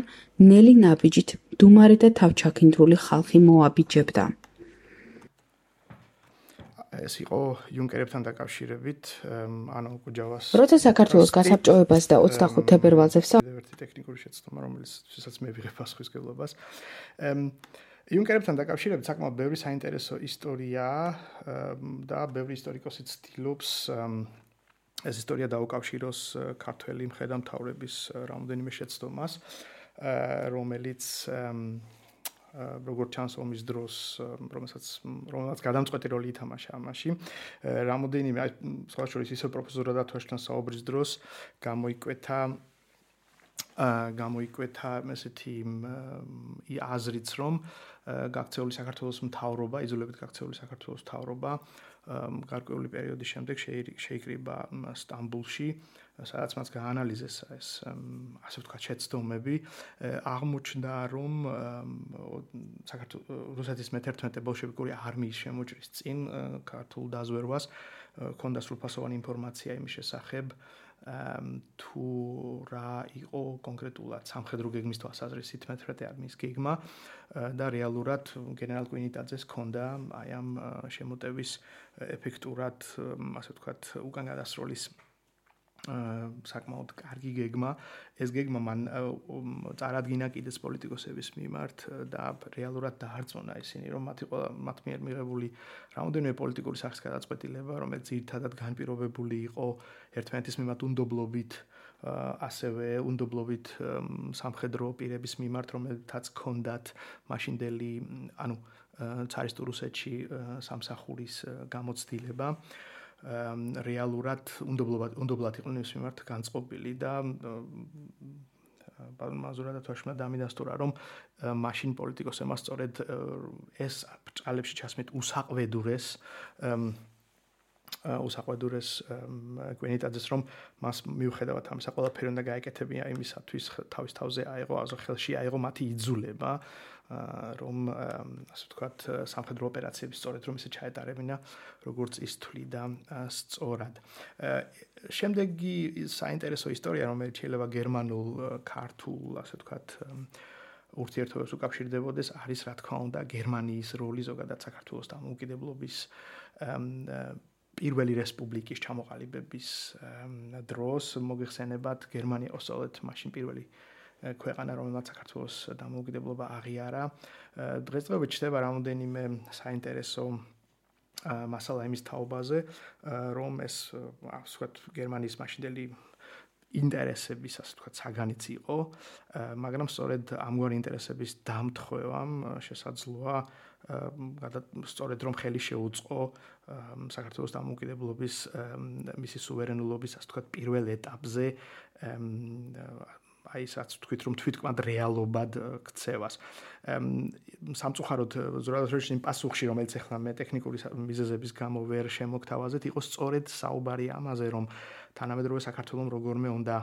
ნელი ნაბიჯით დუმარე და თავჩაქინდრული ხალხი მოაბიჯებდა. ეს იყო იუნკერებთან დაკავშირებით ანუ კუჯავას. როცა საქართველოს გასაბჭოებას და 25 თებერვალზე ერთი ტექნიკური შეცდომა, რომელსაც მე ვიღებ პასუხისმგებლობას. იუნკერებთან დაკავშირებით საკმაოდ ბევრი საინტერესო ისტორიაა და ბევრი ისტორიკოსი ცდილობს ეს ისტორია დაუკავშიროს ქართველი მხედართმთავრების რამოდენიმე შეცდომას, რომელიც როგორც ჩანს ომის დროს, რომელსაც გადამწყვეტი როლი ითამაშა ამაში. რამოდენიმე სხვა შორის ისე პროფესორ რადათვაშთან საუბრის დროს გამოიკვეთა ესეთი აზრიც, რომ გაქცეული საქართველოს მთავრობა, იძულებით გაქცეული საქართველოს მთავრობა გარკვეული პერიოდის შემდეგ შეიკრიბა სტამბულში, სადაც მას გაანალიზეს ეს ასე ვთქვათ შეცდომები, აღმოჩნდა, რომ რუსეთის მე-11 ბოლშევიკური არმიის შემოჭრის წინ ქართულ დაზვერვას ჰქონდა სრულფასოვანი ინფორმაცია იმის შესახებ, თუ რა იყო კონკრეტულად სამხედრო გეგმის თვალსაზრისით მე-11 არმიის გეგმა და რეალურად გენერალ კვინიტაძეს ჰქონდა აი ამ შემოტევის ეფექტურად, ასე ვთქვათ, უკან გადასროლის საკმაოდ კარგი გეგმა. ეს გეგმა მან წარადგინა კიდეც პოლიტიკოსების მიმართ და რეალურად დაარწმუნა ისინი, რომ მათ მიერ მიღებული რამოდენიმე პოლიტიკური სახის გადაწყვეტილება, რომელიც ძირითადად განპირობებული იყო ერთმანეთის მიმართ უნდობლობით, ასევე უნდობლობით სამხედრო პირების მიმართ, რომელთაც ჰქონდათ მაშინდელი, ანუ ცარისტულ რუსეთში სამსახურის გამოცდილება. რეალურად უნდობლად იყვნენ ის მიმართ განწყობილი და მაზურად თვაშმა დამიდასტურა, რომ მაშინ პოლიტიკოსებმა სწორედ ეს ბრჭყალებში ჩასმით უსაყვედურეს კვინიტაძეს, რომ მას მიუხედავად ამისა ყველაფერი უნდა გაეკეთებინა იმისათვის თავის თავზე აიღო, ხელში აიღო მათი იძულება, რომ ასე ვთქვათ სამხედრო ოპერაციები სწორედ რომ ისე ჩაეტარებინა, როგორც ის თვლიდა სწორად. შემდეგი საინტერესო ისტორია, რომელიც შეიძლება გერმანულ, ქართულ, ასე ვთქვათ ურთიერთობებს უკავშირდებოდეს, არის რა თქმა უნდა გერმანიის როლი ზოგადად საქართველოს დამოუკიდებლობის პირველი რესპუბლიკის ჩამოყალიბების დროს. მოგეხსენებათ, გერმანია ოსოლეთ მაშინ პირველი ქვეყანა, რომელმაც საქართველოს დამოუკიდებლობა აღიარა. დღესდღეობით ჩნდება რამოდენიმე საინტერესო მასალა იმის თაობაზე, რომ ეს ასე ვთქვათ გერმანიის მაშინდელი ინტერესების, ასე ვთქვათ, საგანიც იყო, მაგრამ სწორედ ამგვარი ინტერესების დამთხვევამ შესაძლოა სწორედ რომ ხელი შეუწყო საქართველოს დამოუკიდებლობის მისი სუვერენულობის, ასე ვთქვათ, პირველ ეტაპზე აი ისაც თქვით რომ თვითკმად რეალობად ქცევას. სამწუხაროდ ზურაბაშვილის იმ პასუხში რომელიც ახლა მე ტექნიკური მიზეზების გამო ვერ შემოგთავაზეთ იყო სწორედ საუბარი ამაზე რომ თანამედროვე საქართველოს როგორმე უნდა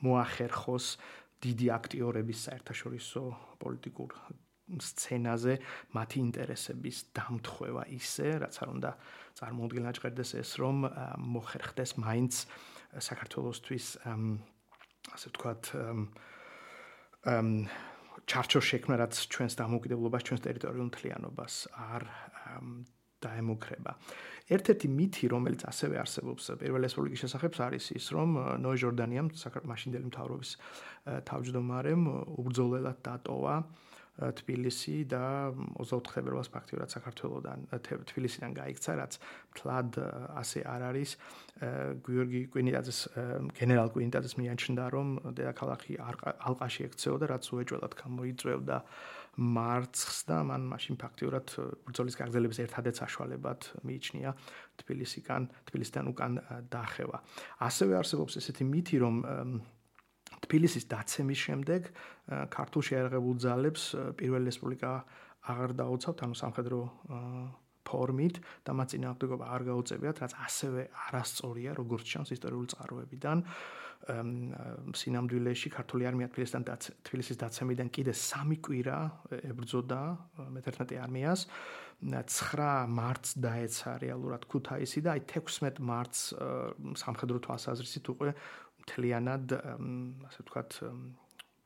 მოახერხოს დიდი აქტიორების საერთაშორისო პოლიტიკურ სცენაზე მათი ინტერესების დამთხევა ისე, რაც არ უნდა წარმოუდგენლად ეს რომ მოხერხდეს მაინც საქართველოსთვის ასე ვთქვათ ჩარჩო შექმნა, რაც ჩვენს დამოუკიდებლობას, ჩვენს ტერიტორიულ მთლიანობას არ დაემუქრება. ერთ-ერთი მითი, რომელიც ასევე არსებობს პირველ რესპუბლიკის შესახებ, არის ის, რომ ნოე ჟორდანიამ მაშინდელი მთავრობის თავმჯდომარემ უბრძოლელად დატოვა თბილისი და 24 თებერვალს ფაქტიურად საქართველოსთან თბილისიდან გაიქცა, რაც მთლად ასე არ არის. გიორგი კვინიტაძეს გენერალ კვინიტაძეს მიაჩნდა, რომ დედაქალაქი ალყაში ექცეოდა, რაც უეჭველად გამოიწვევდა მარცხს და მან მაშინ ფაქტიურად ბრძოლის გაგრძელების ერთადერთ საშუალებად მიიჩნია თბილისიდან უკან დახევა. ასევე არსებობს ესეთი მითი, რომ თბილისის დაცემის შემდეგ ქართულ შეიარაღებულ ძალებს პირველი რესპუბლიკა აღარ დაუცავთ, ანუ სამხედრო ფორმით და მათ წინააღმდეგობა არ გაუწევიათ, რაც ასევე არასწორია, როგორც ჩანს ისტორიული წყაროებიდან. სინამდვილეში ქართული არმია თბილისის დაცემიდან კიდე 3 კვირა ებრძოდა მე-11 არმიას. 9 მარტს დაეცა რეალურად ქუთაისი და აი 16 მარტს სამხედრო თვალსაზრისით უკვე მთლიანად ასე ვთქვათ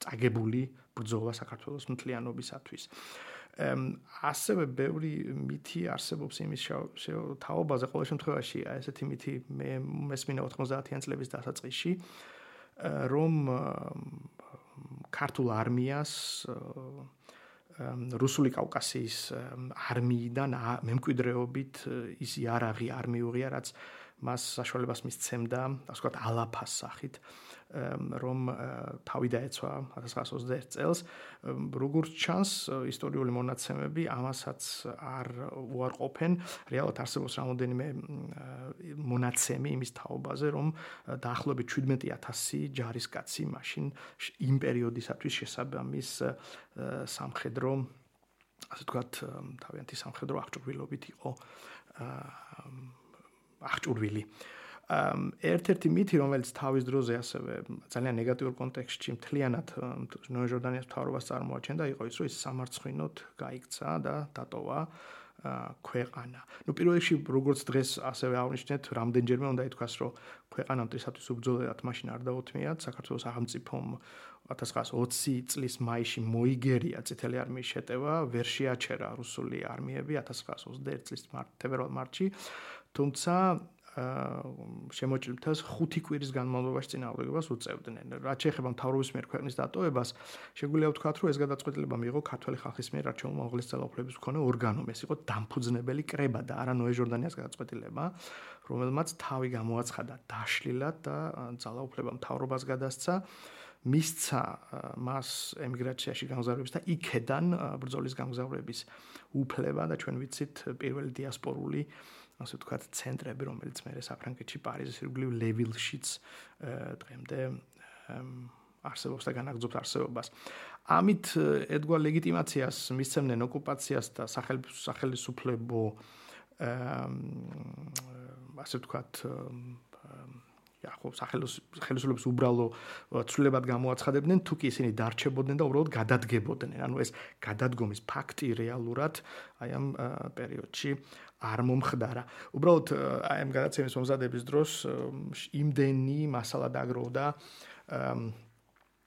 წაგებული ბრძოლა საქართველოს მთლიანობისათვის. ასევე ბევრი მითი არსებობს იმის თაობაზე, ყოველ შემთხვევაში ესეთი მითი მე მესმინა 90-იან წლების დასაწყისში, რომ ქართულ არმიას რუსული კავკასიის არმიიდან მემკვიდრეობით ის იარაღი არ მიუღია, რაც მას საშუალებას მისცემდა, ასე ვთქვათ, ალაფას სახით, რომ თავი დაეცვა 1921 წელს. როგორც ჩანს, ისტორიული მონაცემები ამასაც არ უარყოფენ. რეალურად არსებობს რამოდენიმე მონაცემი იმის თაობაზე, რომ დაახლოებით 17,000 ჯარისკაცი მაშინ იმ პერიოდისათვის შესაბამის სამხედრო, ასე ვთქვათ, თავიანთი სამხედრო აღჭურვილობით იყო აღჭურვილი. ერთ-ერთი მითი, რომელიც თავის დროზე ასევე ძალიან ნეგატიურ კონტექსტში მთლიანად ნოე ჟორდანიას მთავრობას წარმოაჩენდა, იყო ის, რომ ის სამარცხვინოდ გაიქცა და დატოვა ქვეყანა. პირველ რიგში, როგორც დღეს ასევე აღნიშნეთ, რამდენჯერმე უნდა ითქვას, რომ ქვეყანა მტრისათვის უბრძოლელად მაშინ არ დაუთმიათ. საქართველოს სახელმწიფომ 1920 წლის მაისში მოიგერია წითელი არმიის შეტევა, ვერ შეაჩერა რუსული არმიები 1921 წლის თებერვალ-მარტში, თუმცა შემოჭრილთას 5 კვირის განმავლობაში წინააღმდეგობას უწევდნენ. რაც შეეხება მთავრობის მიერ ქვეყნის დატოვებას, შეგვიძლია ვთქვათ, რომ ეს გადაწყვეტილება მიიღო ქართველი ხალხის მიერ არჩეულმა უმაღლესი ძალაუფლების მქონე ორგანომ. ეს იყო დამფუძნებელი კრება და არა ნოე ჟორდანიას გადაწყვეტილება, რომელმაც თავი გამოაცხადა დაშლილად და ძალაუფლება მთავრობას გადასცა. მისცა მას ემიგრაციაში გამგზავრების და იქედან ბრძოლის გამგზავრების უფლება და ჩვენ ვიცით პირველი დიასპორული ასე ვთქვათ ცენტრები, რომელიც მე საფრანგეთში, პარიზის ირგვლივ ლევილშიც დღემდე არსებობს და განაგრძობს არსებობას. ამით ედგა ლეგიტიმაციას მისცემდნენ ოკუპაციას და სახელმწიფო ასე ვთქვათ ხელისუფლების უბრალო ცვლილებად გამოაცხადებდნენ, თუ კი ისინი დარჩებოდნენ და უბრალოდ გადადგებოდნენ. ანუ ეს გადადგომის ფაქტი რეალურად აი ამ პერიოდში არ მომხდარა. უბრალოდ აი ამ გადაცემის მომზადების დროს იმდენი მასალა დაგროვდა,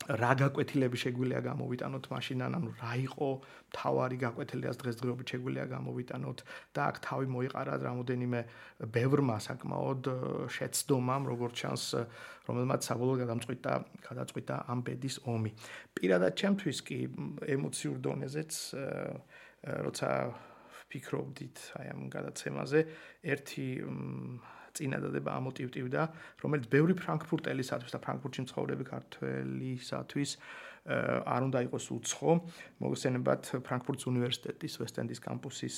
რა გაკვეთილები შეგვიძლია გამოვიტანოთ მაშინან, ანუ რა იყო თავარი გაკვეთილებას დღესდღეობით შეგვიძლია გამოვიტანოთ და აქ თავი მოიყარა რამოდენიმე ბევრმა საკმაოდ შეცდომამ, როგორც ჩანს, რომელმაც საბოლოოდ გადაწყვიტა ამ ბედის ომი. პირადად ჩემთვის კი ემოციურ დონეზეც როცა ვფიქრობდით აი ამ გადაცემაზე, ერთი წინადადება ამოტივტივდა, რომელიც ბევრი ფრანკფურტელისათვის და ფრანკფურტში მცხოვრები ქართველისათვის არ უნდა იყოს უცხო. მოგესალმებათ ფრანკფურტის უნივერსიტეტის ვესტენდის კამპუსის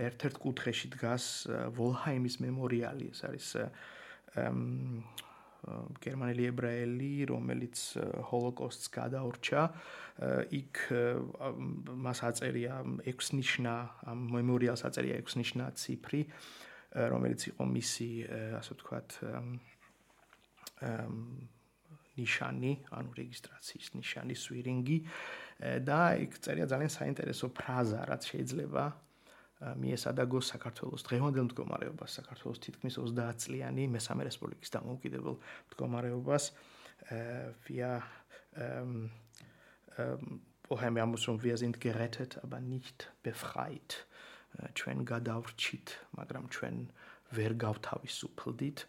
ერთ-ერთ კუთხეში დგას ვოლჰაიმის მემორიალი. ეს არის გერმანელი ებრაელი, რომელიც ჰოლოკოსტს გადაურჩა, იქ მას აწერია 6 ნიშნა, მემორიალს აწერია 6 ნიშნა ციფრი, რომელიც იყო მისი, ასე ვთქვათ, ნიშანი, ანუ რეგისტრაციის ნიშანი, სვირინგი და იქ წერია ძალიან საინტერესო ფრაზა, რაც შეიძლება მიესადაგოს საქართველოს დღევანდელ მდგომარეობას, საქართველოს თითქმის 30 წლიანი მესამე რესპუბლიკის დამოუკიდებელ მდგომარეობას. Wir woher muss wir sind gerettet, aber nicht befreit. ჩვენ გადავრჩით, მაგრამ ჩვენ ვერ გავთავისუფლდით.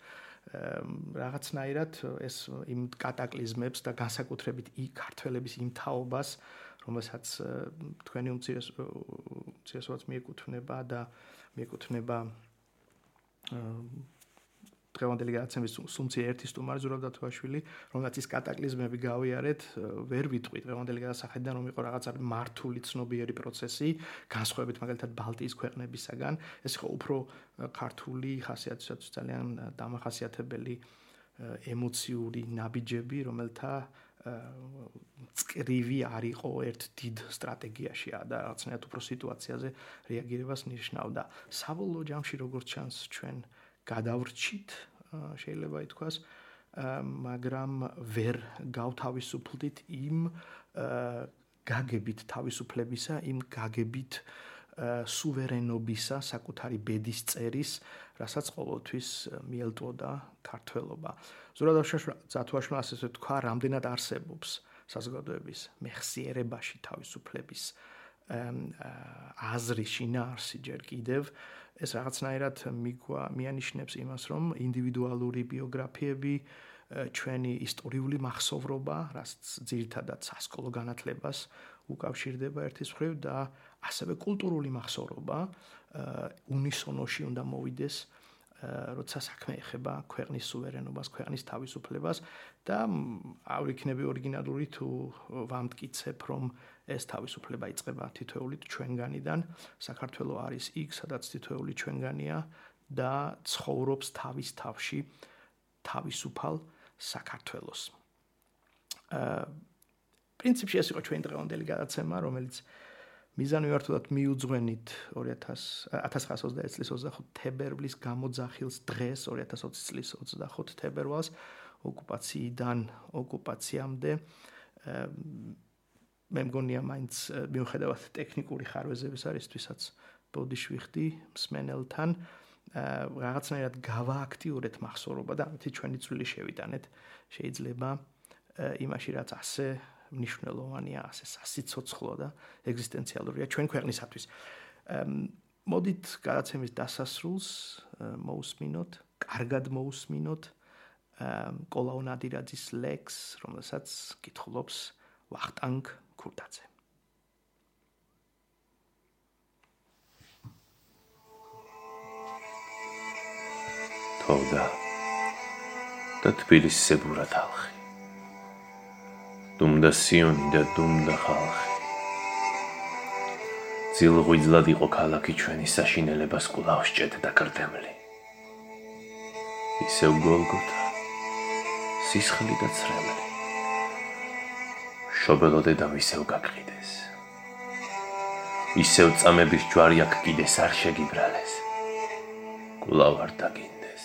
რაღაცნაირად ეს იმ კატაკლიზმებს და განსაკუთრებით ქართველების იმ თაობას, რომელსაც თქვენი უმცირესობაც მიეკუთვნება და მიეკუთვნება დღევანდელი გადაცემის სუმცი ერთი სტუმარი ზურაბ დათოაშვილი, რომელსაც ის კატაკლიზმები გავიარეთ, ვერ ვიტყვით დღევანდელი გადასახედიდან, რომ იყო რაღაცა მართული ცნობიერი პროცესი, განსხვავებით მაგალითად ბალტიის ქვეყნებისაგან, ეს იყო უფრო ქართული ხასიათისათვის ძალიან დამახასიათებელი ემოციური ნაბიჯები, რომელთა წკრივი არ იყო ერთ დიდ სტრატეგიაში და რაღაცნაირად უფრო სიტუაციაზე რეაგირებას ნიშნავდა. საბოლოო ჯამში როგორც ჩანს ჩვენ გადავრჩით, შეიძლება ითქვას, მაგრამ ვერ გავთავისუფლდით იმ გაგებით თავისუფლებისა, იმ გაგებით სუვერენობისა, საკუთარი ბედის წერის, რასაც ყოველთვის მიელტვოდა ქართველობა. ზურაბ დათოაშვილმა ასე თქვა, რამდენად არსებობს საზოგადოების მეხსიერებაში თავისუფლების აზრი, შინაარსი ჯერ კიდევ, ეს რაღაცნაირად მიანიშნებს იმას, რომ ინდივიდუალური ბიოგრაფიები, ჩვენი ისტორიული მახსოვრობა, რაც ძირითადად სასკოლო განათლებას უკავშირდება ერთის მხრივ და ასევე კულტურული მახსოვრობა უნისონოში უნდა მოვიდეს, როცა საქმე ეხება ქვეყნის სუვერენობას, ქვეყნის თავისუფლებას და არ იქნები ორიგინალური თუ ვამტკიცებ, რომ ეს თავისუფლება იწყება თითოეული ჩვენგანიდან. საქართველო არის იქ, სადაც თითოეული ჩვენგანია და ცხოვრობს თავის თავში თავისუფალ საქართველოს. პრინციპში ეს იყო ჩვენი დღევანდელი გადაცემა, რომელიც მიზანმიმართულად მიუძღვენით 1920 წლის 25 თებერვლის გამოძახილს დღეს 2020 წლის 25 თებერვალს ოკუპაციიდან ოკუპაციამდე მე მგონია მაინც მიუხედავად ტექნიკური ხარვეზების არისთვისაც ბოდიშვიხდი მსმენელთან რაღაცნაირად გავააქტიურეთ მახსოვრობა და ამით ჩვენი წვლილი შევიტანეთ შეიძლება იმაში რაც ასე მნიშვნელოვანია, ასე სასიცოცხლო და ეგზისტენციალურია ჩვენ ქვეყნისათვის. მოდით გადაცემის დასასრულს მოусმინოთ, კარგად მოусმინოთ კოლაუ ნადირაძის ლექს, რომელსაც კითხულობს ვახტანგ ქურდაძე. თოვდა და თბილისს ზებურა თალხი. დუმდა სიონი და დუმდა ხალხი. ძილღვიძლად იყო ქალაქი ჩვენი საშინელებას კვლავ სჭედდა კრდემლი. ისევ გოლგოთა, სისხლი და ცრემლი. შობელოდედამ ისევ გაკყიდეს. ისევ წამების ჯვარი აქ კიდეს არ შეგიბრალეს. კვლავ არ დაგინდეს.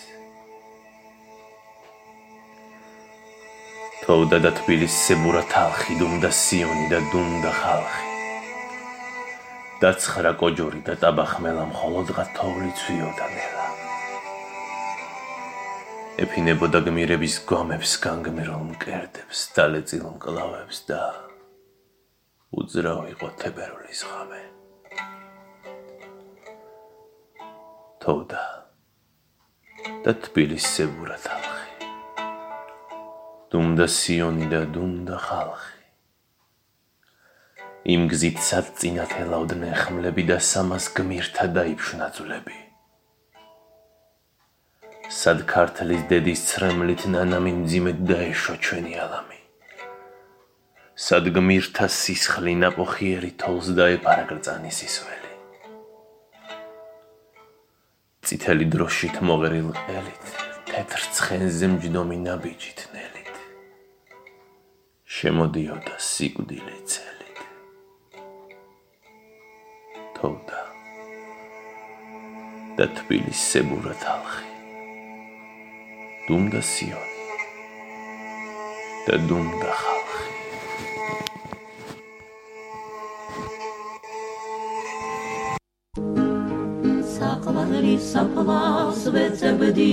თოვდა და თბილისს ზებურა თალხი, დუმდა სიონი და დუმდა ხალხი. დაცხრა კოჯორი და ტაბახმელა მხოლოდღა თოვლი ცვიოდა ნელა. ეფინებოდა გმირების გვამებს, განგმირულ მკერდებს, დალეწილ მკლავებს და უძრავ იყო თებერვლის ღამე. თოვდა და თბილისს ზებურა თალხი. დუმდა სიონი და დუმდა ხალხი. იმ გზით სად წინათ ელავდნენ ხმლები და სამას გმირთა დაიფშნა ძვლები. სად ქართლის დედის ცრემლით ნანამი მძიმედ დაეშვა ჩვენი ალამი. სად გმირთა სისხლი ნაყოფიერი თოლს დაეფარა გრწანის ისველი. წითელი დროშით მოღერილ ყელით თეთრ ცხენზე მჯდომი ნაბიჯი თნელით შემოდიოდა სიკვდილი წელით თოვდა და თბილის სებურა თალხი დუმდა სიონი და დუმდა ხალხი საყვარელი საფლავს ვეძებდი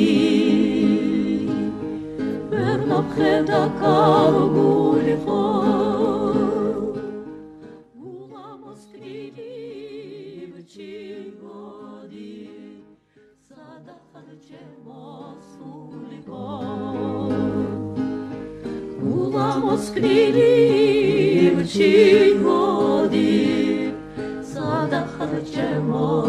ვერ ნახედა კარგული ხო ულამოსკრილი ვჩიგოდი სადახარ ჩემოსული ხო ულამოსკრილი ვჩიგოდი სადახარ ჩემოსული